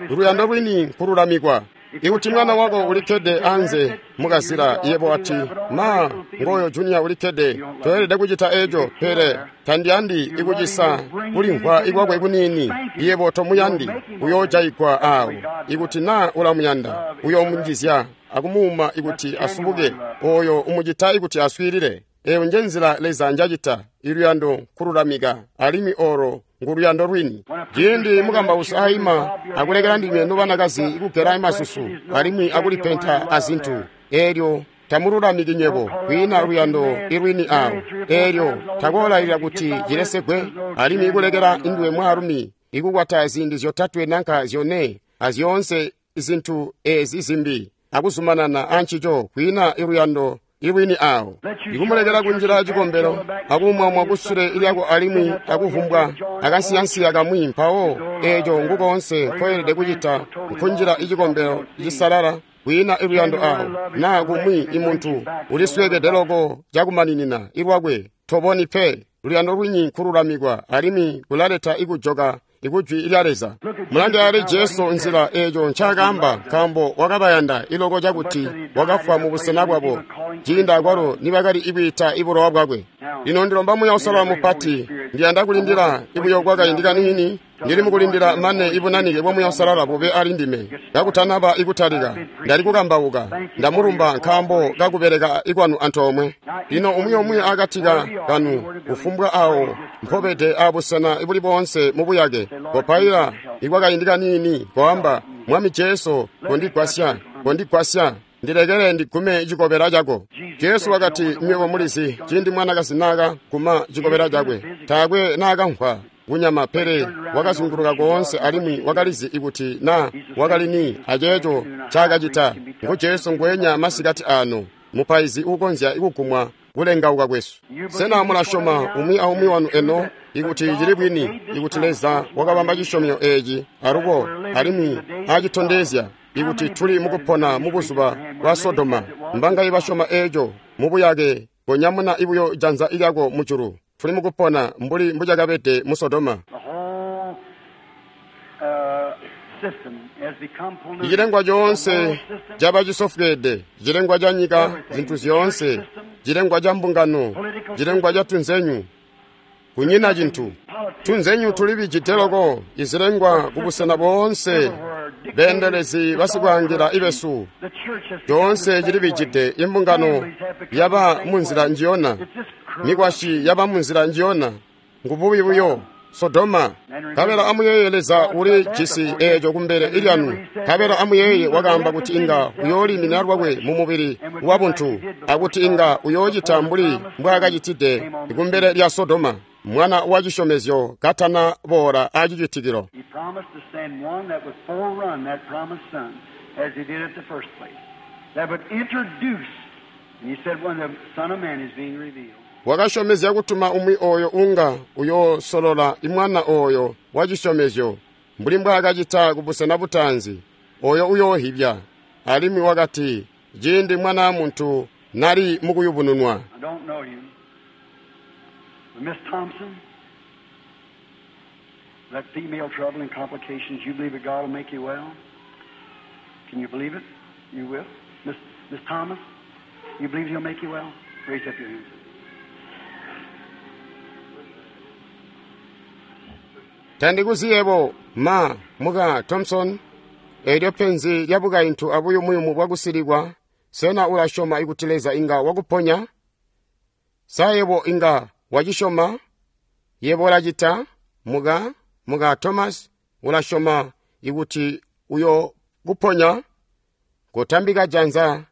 Luyando lwini nkululamikwa. Ikuti mwana wako ulikkede anze mukazila, yebo ati ma ngoyo junior ulikkede, toyelede kucita eeco, pele tandiyandi ikucisa kulimvwa ikwakwe kuniini. Yebo tomuyandi, uyoojayigwa aawo. Ikuti naa ulamuyanda, uyoomunjizya akumuuma ikuti asubuke, ooyo umucita ikuti aswiilile. Eeyo njenzila Leza njacita. Iluyando nkululamika, alimwi oolo nguluyando lwini. Ciindi mukambausi aima akulekela ndinywe nobanakazi ikugela masusu alimwi akulipenta azintu, eelyo tamululamiki nywebo, kwiina luyando ilwini awo. Eelyo takoolailila kuti cilesegwe, alimwi ikulekela induwe mwaalumi ikukwata ziindi zyotatwe nanka zyone azyoonse zintu ezi zimbi akuzumanana ancico, kwiina iluyando ilwini awo. Ikumulekela kunjila cikombelo akumwamwa kusule lyako alimwi akuvumbwa akansiyansiya kamwi, mpawo eeco ngukoonse nkoyelede kucita nkunjila icikombelo cisalala, kwiina iluyando awo. Naa kumwi imuntu ulisweekede loko cakumaninina ilwakwe, toboni pe. Luyando lwini nkululamikwa alimwi kulaleta ikujoka ikujwi lya Leza. Mulange ali Jesu nzila eeco ncaakaamba, nkaambo wakabayanda iloko cakuti wakafwa mubusena bwabo, ciindi akwalo nibakali ikwiita ibulowa bwakwe. Lino ndilomba Muuya Uusalala mupati, ndiyanda kulindila ibuyo kwakaindi kaniini. Ndili mukulindila mane ibunanike bwa Muuya Uusalala bube ali ndime. Kakutanaba ikutalika, ndali kukambauka, ndamulumba nkaambo kakubeleka ikwanu antoomwe. Lino umwi umwi akati kanu, kufumbwa awo mpobede abusena ibuli boonse mubuyake, kopaila ikwakaindi kaniini, koamba, Mwami Jesu, kondigwasya, kondigwasya, ndilekele ndigume cikobela cako. Jesu wakati, nywebo mulizi, ciindi mwanakazi naakaguma cikobela cakwe, taakwe naakamvwa kunyama, pele wakazunguluka koonse alimwi wakalizi ikuti na wakali ni aceeco ncaakacita. Ngu Jesu ngweenya masikati ano, mupaizi uukonzya kugumwa kulengauka kwesu. Sena mulasyoma umwi aumwi wanu eno ikuti cili bwini, ikuti Leza wakabamba cisyomyo eeci alubo alimwi acitondezya ikuti tuli mukupona mubuzuba bwa Sodoma? Mbangayi basyoma eeco mubuyake? Konyamuna ibuyo janza lyako mujulu. Tuli mukupona mbuli mbucakabede mu Sodoma. Icilengwa coonse caba cisofweede, cilengwa ca nyika, zintu zyoonse, cilengwa ca mbungano, cilengwa ca tunzenyu. Kunyina cintu. Tunzenyu tulibijide loko, izilengwa kubusena boonse, beendelezi basikwaangila ibesu. Coonse cilibijide, imbungano yaba munzila njiyona, mikwasyi yaba munzila njiyona, ngububi buyo. Sodoma. Nkabela amuyeeye Leza uli jisi eeco kumbele ilyanu. Nkabela amuyeeye wakaamba kuti inga uyoolimina lwakwe mumubili wabuntu, akuti inga uyoocita mbuli mbwaakacitide kumbele lya Sodoma, mwana wa cisyomezyo katana boola aacicitikilo. Wakasyomezya kutuma umwi ooyo unga uyoosolola imwana ooyo wa cisyomezyo mbuli mbwaakacita kubusena butaanzi, ooyo uyoohibya. Alimwi wakati, ciindi mwana muntu nali mukuyubununwa. Tandikuziyebo ma muka Thompson, eelyo penzi lya bukaintu abuyumuyumu bwakusilikwa. Sena ulasyoma ikuti Leza inga wakuponya? Sa yebo inga wacisyoma? Yebo ulacita, muka muka Thomas, ulasyoma ikuti uyo kuponya? Kotambika janza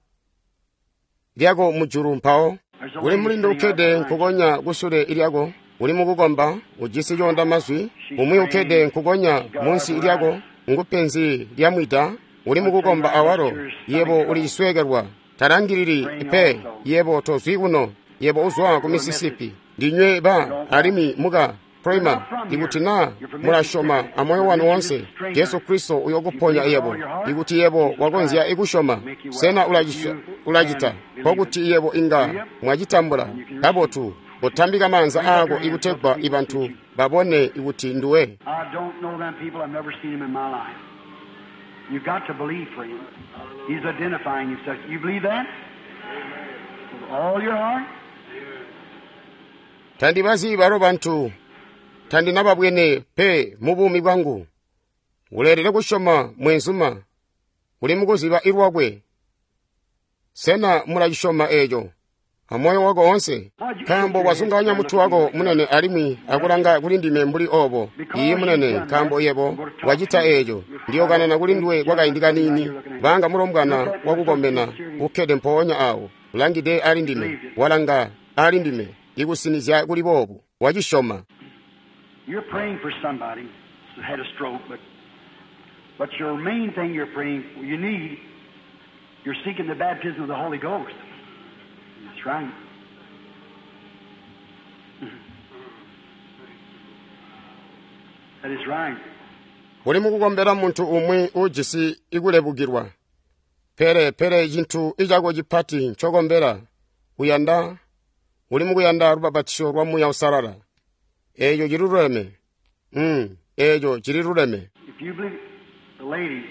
lyako mujulu mpawo. Uli mulindu ukkede nkukonya kusule lyako, uli mukukomba, ujisi coonda mazwi. Umwi ukkede nkukonya munsi lyako, ngupenzi lya mwida, uli mukukomba awalo. Yebo ulicisweekelwa, talangilili pe, yebo tozwi kuno, yebo uzwa ku Mississippi. Ndinywe ba alimwi muka Prima, ikuti na mulasyoma amoyo wanu wonse, Jesu Kristo uyokuponya yebo. Ikuti yebo wakonzya ikusyoma, sena ulacita nkokuti yebo inga mwacitambula kabotu. Kotambika maanza aako ikutegwa ibantu babone ikuti nduwe. Tandibazi balo bantu, tandinababwene pe mubuumi bwangu. Uleelede kusyoma mwenzuma, uli mukuziba ilwakwe. Sena mulacisyoma eeco amoyo wako wonse? Nkaambo wazunganya mutu wako munene alimwi akulanga kuli ndime mbuli obo. Iye munene, nkaambo yebo wacita eeco. Ndiyokanana kuli nduwe kwakaindi kaniini. Banga mulombwana wakukomena ukkede mpoonya awo, ulangide ali ndime, walanga ali ndime, ikusinizya kuli boobu. Wacisyoma. You're praying for somebody who had a stroke, but but your main thing you're praying, you need, you're seeking the baptism of the Holy Ghost. That's right. That is right. Uli mukukombela muntu umwi ujisi ikulebukilwa. Pele pele cintu icako cipati ncokombela, uyanda, uli mukuyanda lubabatisyo lwa Muuya Uusalala. Eeco ciluleme. Mm, Eeco cili luleme. If you believe the lady,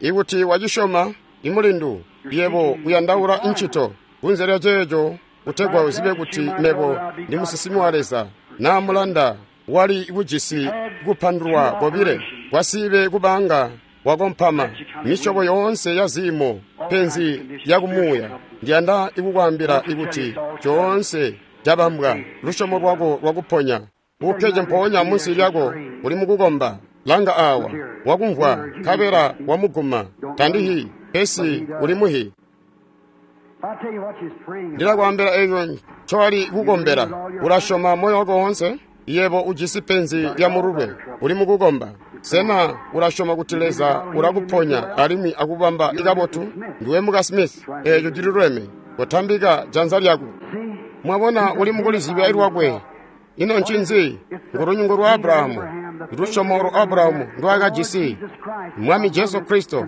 Ikuti wacisyoma, imulindu, yebo uyandaula ncito. Kunze lya ceeco, kutegwa uzibe kuti mebo ndi musinsimi wa Leza, naa mulanda wali kujisi kupandulwa kobile, kwasibe kubanga wakompama, misyobo yoonse ya ziimo, penzi ya kumuuya. Ndiyanda ikukwaambila ikuti coonse cabambwa, lusyomo lwako lwakuponya. Ukkede mpoonya munsi lyako uli mukukomba. Langa awa, wakumvwa, nkabela wamuguma. Tandihi, pesi uli muhi. if I tell you what she's praying about, Ndilakwaambila eco ncowali kukombela. Ulasyoma moyo wako woonse? Yebo ujisi penzi lya mululwe, uli mukukomba. Sena ulasyoma kuti Leza ulakuponya alimwi akubamba ikabotu? Ndiwe muka Smith, eeco cililuleme. Kotambika janza lyako. see, Mwabona uli mukulizibya lwakwe. Ino ncinzi? Ngulunyungu lwa Abrahamu. Lusyomo lwa Abrahamu ndwaakajisi. Mwami Jesu Kristo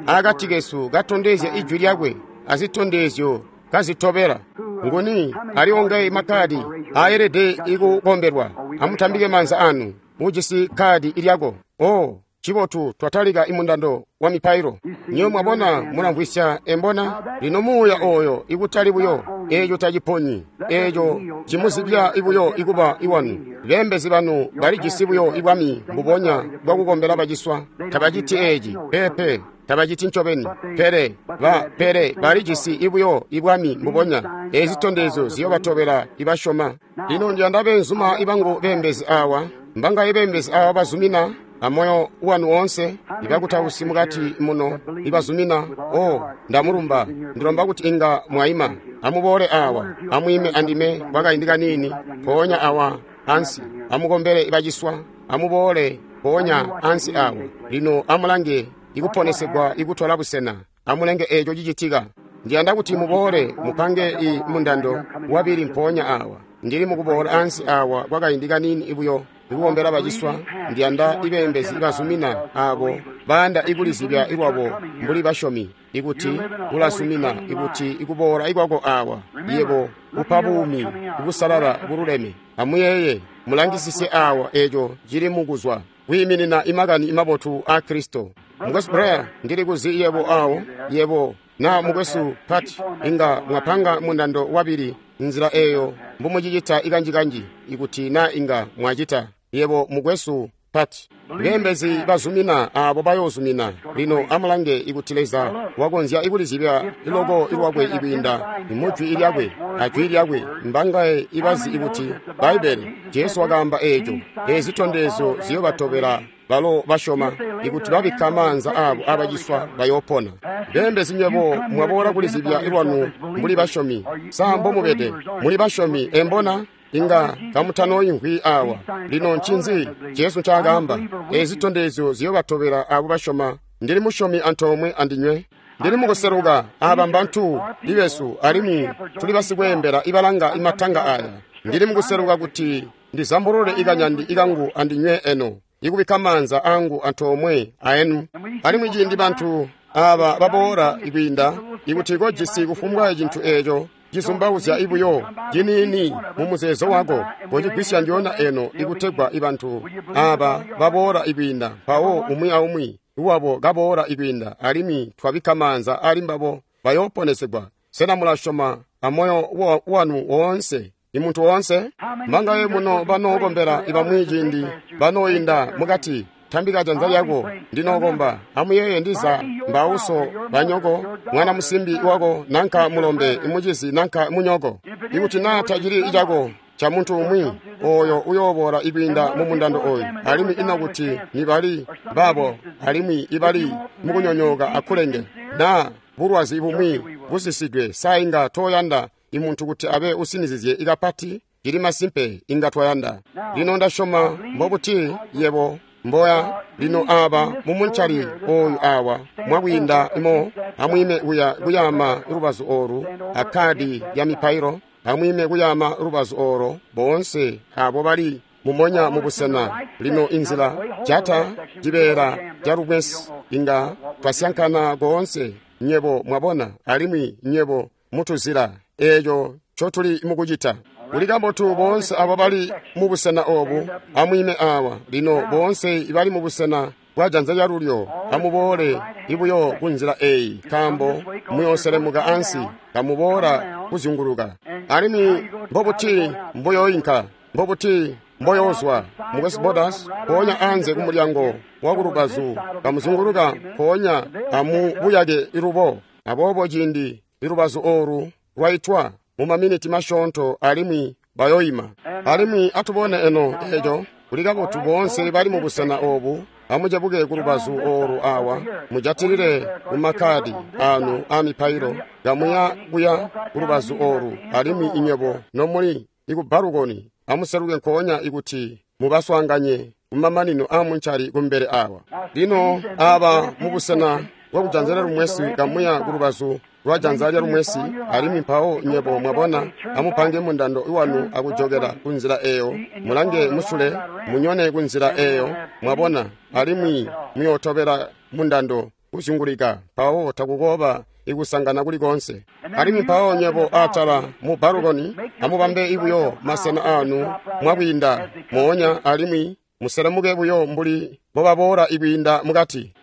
akati kesu katondezya ijwi lyakwe azitondezyo kazitobela. Nguni ali makkadi aayelede ikukombelwa? Amutambike maanza anu. Ujisi kkaadi lyako. Oh, cibotu twatalika imundando wa mipailo. Nyo mwabona mulamvwisya embona? Lino muuya oyo ikutali buyo eeco taciponyi, eeco cimuzibya ibuyo ikuba iwanu. Beembezi banu balijisi buyo ibwami mbubonya bwakukombela baciswa. Tabaciti eeci, peepe, tabaciti ncobeni. Pele ba pele balijisi ibuyo ibwami mbubonya. Eezi zitondezyo ziyobatobela ibasyoma. Lino ndiyanda beenzuma ibangu beembezi awa, mbangaye beembezi awa bazumina amoyo wanu woonse, ibakutausi mukati muno ibazumina. O, ndamulumba. Ndilomba kuti inga mwaima. Amuboole awa, amwiime andime kwakaindi kaniini, mpoonya awa ansi. Amukombele ibaciswa, amuboole mpoonya ansi awa. Lino amulange ikuponesegwa ikutola busena. Amulenge eeco cicitika. Ndiyanda kuti muboole mupange i mundando wabili mpoonya awa. Ndili mukuboola ansi awa kwakaindi kaniini ibuyo ikukombela baciswa. Ndiyanda ibeembezi ibazumina abo bayanda ikulizibya ilwabo mbuli basyomi, ikuti ulazumina ikuti ikuboola ikwako awa yebo upa buumi kubusalala bululeme. Amuyeeye, mulangisisye awa eeco cili mukuzwa kwiiminina imakani imabotu a Kristo. Mukwesu Blair, ndili kuzi yebo awo, yebo na mukwesu Pat, inga mwapanga mundando wabili nzila eyo mbumucicita ikanjikanji, ikuti na inga mwacita. Yebo mukwesu Pat, beembezi bazumina abo bayoozumina. Lino amulange ikuti Leza wakonzya ikulizibya iloko ilwakwe ikwiinda mujwi ilyakwe ajwi lyakwe. Mbangaye ibazi ikuti Bbaibbele Jesu wakaamba eeco. Eezi zitondezyo ziyobatobela balo basyoma, ikuti babikka maanza abo abaciswa bayoopona. Beembezi nywebo mwaboola kulizibya ilwanu mbuli basyomi. Sa mbomubede muli basyomi embona? Inga kamutanooyimvwi awa. Lino ncinzi Jesu ncaakaamba? Eezi zitondezyo ziyobatobela abo basyoma. Ndili musyomi antoomwe andinywe. Ndili mukuseluka. Aba mbantu ibesu alimwi tuli basikweembela ibalanga imatanga aya. Ndili mukuseluka kuti ndizambulule ikanyandi ikangu andinywe eno, ikubikka maanza angu antoomwe aenu. Alimwi ciindi bantu aba baboola ikwiinda, ikuti kojisi kufumbwa cintu eeco cizumbauzya ibuyo ciniini mu muzeezo wako, kocigwisya ndyoonya eno, ikutegwa ibantu aba baboola ikwiinda, mpawo umwi aumwi wabo kaboola ikwiinda, alimwi twabikka maanza ali mbabo, bayooponesegwa. Sena mulasyoma amoyo wa- wanu woonse? Imuntu woonse? Mbangaye muno banookombela ibamwi ciindi banooyinda mukati? Tambika janza lyako, ndinookomba. Amuyeeye ndiza mbauso banyoko, mwana musimbi wako nanka mulombe, imucizi nanka munyoko. Ikuti naa tacili icako ca muntu umwi, oyo uyooboola ikwiinda mu mundando oyu. Alimwi ino kuti nibali babo alimwi ibali mukunyonyooka akulenge, naa bulwazi bumwi busisidwe, sa inga tooyanda imuntu kuti abe usinizizye ikapati? Cili masimpe inga twayanda. Lino ndasyoma mbobuti yebo mboya. Lino aba mumuncali oyu awa mwakwiinda imo, amwiime kuya kuyaama lubazu olu akkadi ya mipailo. Amwiime kuyaama lubazu olo boonse abo bali mumonya mubusena. Lino inzila jata cibeela ca lubwesi inga twasyankana koonse, nyebo mwabona, alimwi nyebo mutuzila eeco ncotuli mukucita. Kuli kabotu boonse abo bali mu busena obu, amwiime awa. Lino boonse ibali mu busena bwa janza lyalulyo, amuboole ibuyo ku nzila eyi, nkaambo muyooselemuka ansi, kamuboola kuzyunguluka. Alimwi mbobuti mboyoinka, mbobuti mboyoozwa, Mukwesu Borders, mpoonya anze ku mulyango wa kulubazu, kamuzunguluka mpoonya amubuyake ilubo. Aboobo ciindi ilubazu oolu lwaitwa mu maminiti masyoonto alimwi bayoima. Alimwi atubone eno eco, kuli kabotu boonse bali mu busena obu, amucebuke ku lubazu oolu awa, mujatilile ku makkadi anu a mipailo, kamuya kuya ku lubazu oolu, alimwi inywebo nomuli iku balukoni, amuseluke nkoonya ikuti mubaswaanganye kumamanino a muncali kumbele awa. Lino aba mu busena bwa kujanza lya lumwesi, kamuya ku lubazu lwa janza lya lumwesi, alimwi mpawo nywebo mwabona, amupange mundando wanu akujokela ku nzila eyo, mulange musule, munyone ku nzila eyo, mwabona, alimwi muyootobela mundando kuzyungulika, mpawo takukooba ikusangana kuli konse. Alimwi mpawo nywebo atala mu balukoni, amubambe ibuyo masena anu mwakwiinda moonya, alimwi muselemuke buyo mbuli mbobaboola ikwiinda mukati.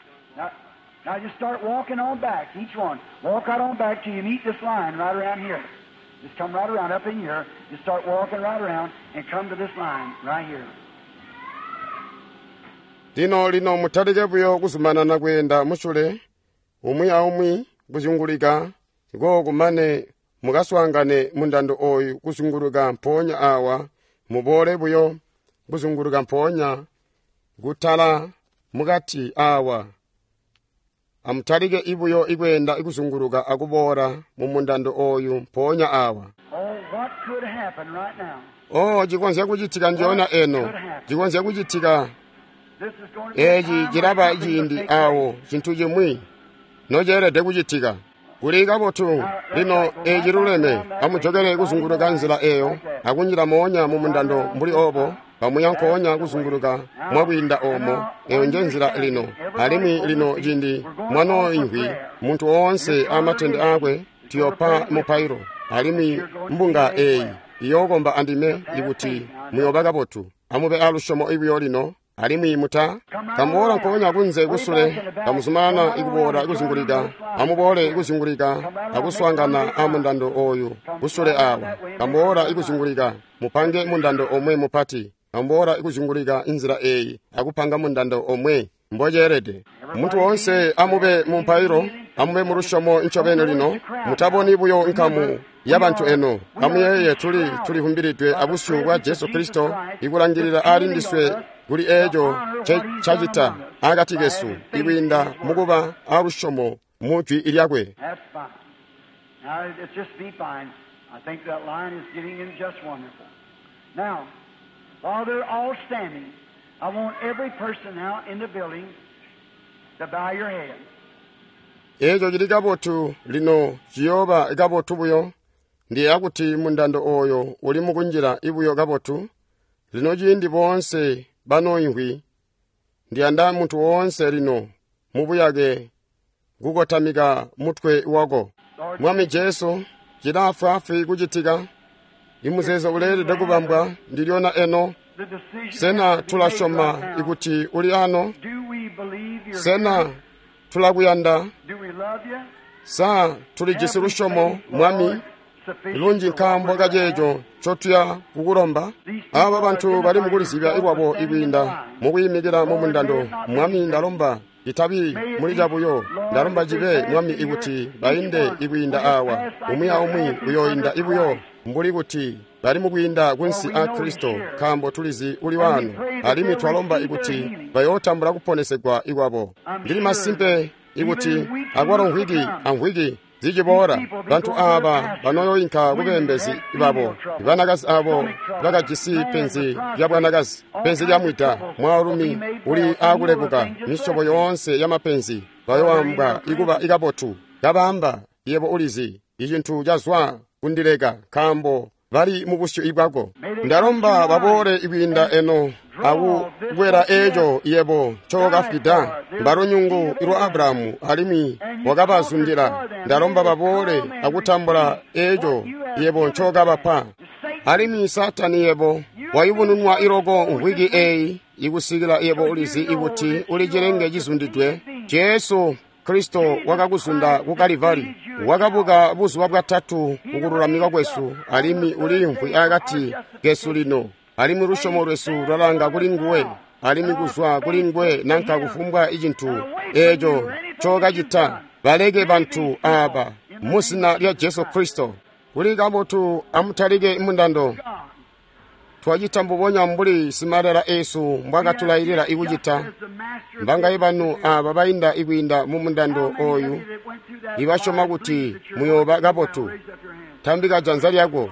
Now just start walking on back, each one. Walk right on back till you meet this line right around here. Just come right around up in here. Just start walking right around and come to this line right here. Lino lino mutalike buyo kuzumanana kweenda musule, umwi aumwi kuzyungulika, kumane mukaswaangane mundando oyu kuzyunguluka mpoonya awa, muboole buyo kuzyunguluka mpoonya kutala mukati awa. Amutalike ibuyo ikweenda ikuzunguluka akuboola mu mundando oyu mpoonya awa. Oh, what could happen right now? Oh, cikonzya kucitika ndyoonya eno, cikonzya kucitika. This is going to be a Eeci time cilaba when something will ciindi take awo place. cintu cimwi noceelede kucitika. Kuli kabotu lino eeci luleme, amujokele kuzunguluka nzila eyo akunjila moonya mu mundando mbuli obo, kamuya nkoonya kuzunguluka mwakwiinda omo. Eyo nje nzila lino. Alimwi lino ciindi mwanooimvwi, muntu woonse amatende akwe tuyopa mupailo, alimwi mbunga eyi iyookomba andime ikuti muyooba kabotu. Amube alusyomo ibuyo lino, alimwi muta kamuboola nkoonya kunze kusule, kamuzumanana ikuboola ikuzungulika, amuboole ikuzungulika akuswaangana a mundando oyu kusule awa, kamuboola ikuzungulika, mupange mundando omwe mupati, kamuboola ikuzungulika inzila eyi akupanga mundando omwe mboceelede. Muntu woonse amube mu mpailo, amube mu lusyomo ncobeni lino, mutaboni buyo nkamu ya bantu eno. Amuyeeye tuli tulivumbilidwe abusyu bwa Jesu Kristo, ikulangilila ali ndiswe kuli eeco cacita akati kesu, ikwiinda mukuba alusyomo mu jwi lyakwe. That's fine. Now, it's just be fine. I think that line is getting in just wonderful. Now, while they're all standing, I want every person now in the building to bow your head. Eeco cili kabotu lino ciyooba kabotu buyo. Ndiyeeya kuti mundando oyo uli mukunjila ibuyo kabotu. Lino ciindi boonse banooimvwi, ndiyanda muntu woonse lino mubuyake kukotamika mutwe wako. Mwami Jesu, cilaafwaafwi kucitika. Imuzeezo uleelede kubambwa ndilyona eno. The decision Sena has to be made tulasyoma right now. ikuti uli ano? Do we believe you're Sena here? tulakuyanda? Do we love you? Sa tulijisi lusyomo, Mwami, lunji nkaambo kaceeco ncotuya kukulomba? Aba bantu bali mukulizibya lwabo ikwiinda mukwiimikila mu mundando. Mwami, ndalomba itabi muli cabuyo, ndalomba cibe Mwami ikuti bainde ikwiinda awa, umwi aumwi uyooinda ibuyo mbuli kuti bali mukwiinda kunsi a Kristo, nkaambo tulizi uli wano, alimwi twalomba ikuti bayootambula kuponesegwa ikwabo. Ndili masimpe ikuti akwalo mvwiki amvwiki ziciboola, bantu aaba banooyoinka kubeembezi babo, banakazi abo bakajisi penzi lya bwanakazi, penzi lya mwida, mwaalumi uli aakulebuka, misyobo yoonse ya mapenzi bayoambwa ikuba ikabotu. Kabaamba, yebo ulizi, icintu cazwa kundileka, nkaambo bali mu busyu bwako. Ndalomba baboole ikwiinda eno akukwela eeco yebo ncookafwida. Mbalunyungu lwa Abrahamu alimwi wakabazundila. Ndalomba baboole akutambula eeco yebo ncookabapa. Alimwi Saatani yebo wayubununwa iloko mvwiki eyi ikusikila yebo ulizi ikuti uli cilenge cizundidwe. Jesu Kristo wakakuzunda ku Kalivari, wakabuka buzuba bwatatu kukululamikwa kwesu, alimwi uliimvwi akati kesu lino, alimwi lusyomo lwesu lwalanga kuli nguwe, alimwi kuzwa kuli nguwe nanka kufumbwa icintu eeco ncokacita. Baleke bantu aaba mu zina lya Jesu Kristo. Kuli kabotu, amutalike mundando. Twacita mbubonya mbuli simalela esu mbwakatulailila ikucita. Mbangaye banu aaba bainda ikwiinda mu mundando oyu ibasyoma kuti muyooba kabotu? Tambika janza lyako.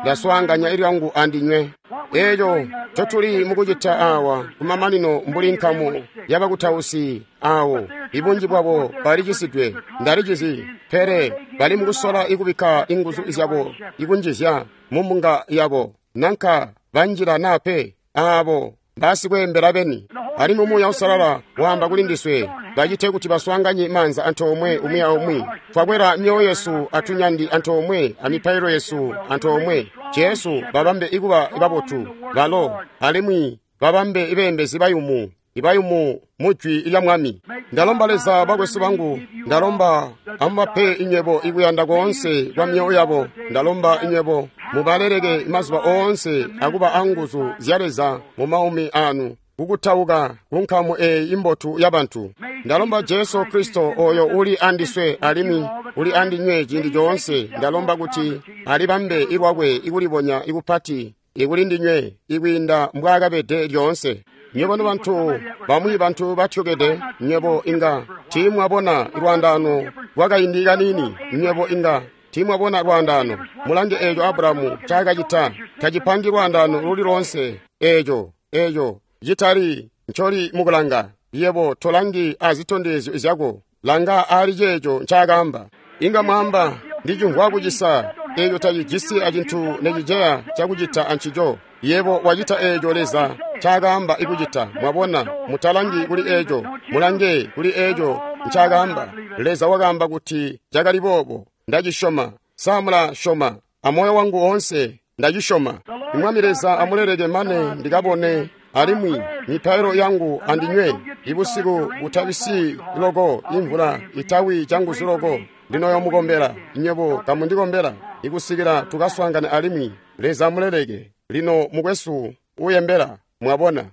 Ndaswaanganya ilyangu andinywe. Eeco ncotuli mukucita awa kumamanino mbuli nkamu yabakutausi awo, ibunji bwabo balicisidwe, ndalicizi, pele bali mukusola ikubikka inguzu zyabo ikunjizya mumbunga yabo, nanka banjila naa pe, aabo basikweembela beni. Alimwi Muuya Uusalala waamba kuli ndiswe, bacite kuti baswaanganye maanza antoomwe umwi aumwi. Twakwela myoyo yesu atunyandi antoomwe amipailo yesu antoomwe. Jesu babambe ikuba babotu balo, alimwi babambe ibeembezi bayumu, ibayumu mujwi lya Mwami. Ndalomba Leza, bakwesu bangu, ndalomba amubape inywebo ikuyanda koonse kwa myoyo yabo. Ndalomba inywebo mubaleleke mazuba oonse akuba anguzu zya Leza mu maumi anu, kukutauka kunkamu eyi imbotu yabantu. Ndalomba Jesu Kristo oyo uli andiswe alimwi uli andinywe ciindi coonse, ndalomba kuti alibambe ilwakwe ikulibonya ikupati ikuli ndinywe ikwiinda mbwaakabede lyoonse. Nywebo bantu bamwi bantu batyokede, nywebo inga tiimwabona lwaandaano lwakaindi kaniini, nywebo inga tiimwabona lwaandaano. Mulange eeco Abulahamu ncaakacita, tacipangi lwaandaano luli loonse. Eeco eeco citali ncoli mukulanga. Yebo tolangi azitondezyo zyako, langa aali ceeco ncaakaamba. Inga mwaamba, ndicimvwa kucisa. Eeco tacijisi acintu neciceya cakucita ancico. Yebo wacita eeco Leza ncaakaamba ikucita. Mwabona, mutalangi kuli eeco, mulange kuli eeco ncaakaamba. Leza wakaamba kuti cakali boobo. Ndacisyoma. Sa mulasyoma? Amoyo wangu woonse ndacisyoma. Mwami Leza amuleleke mane ndikabone, alimwi mipailo yangu andinywe ibusiku butabisi loko, imvula itawi canguzu loko. Ndinoyomukombela nywebo kamundikombela ikusikila tukaswaangane alimwi. Leza amuleleke. Lino mukwesu uyembela, mwabona.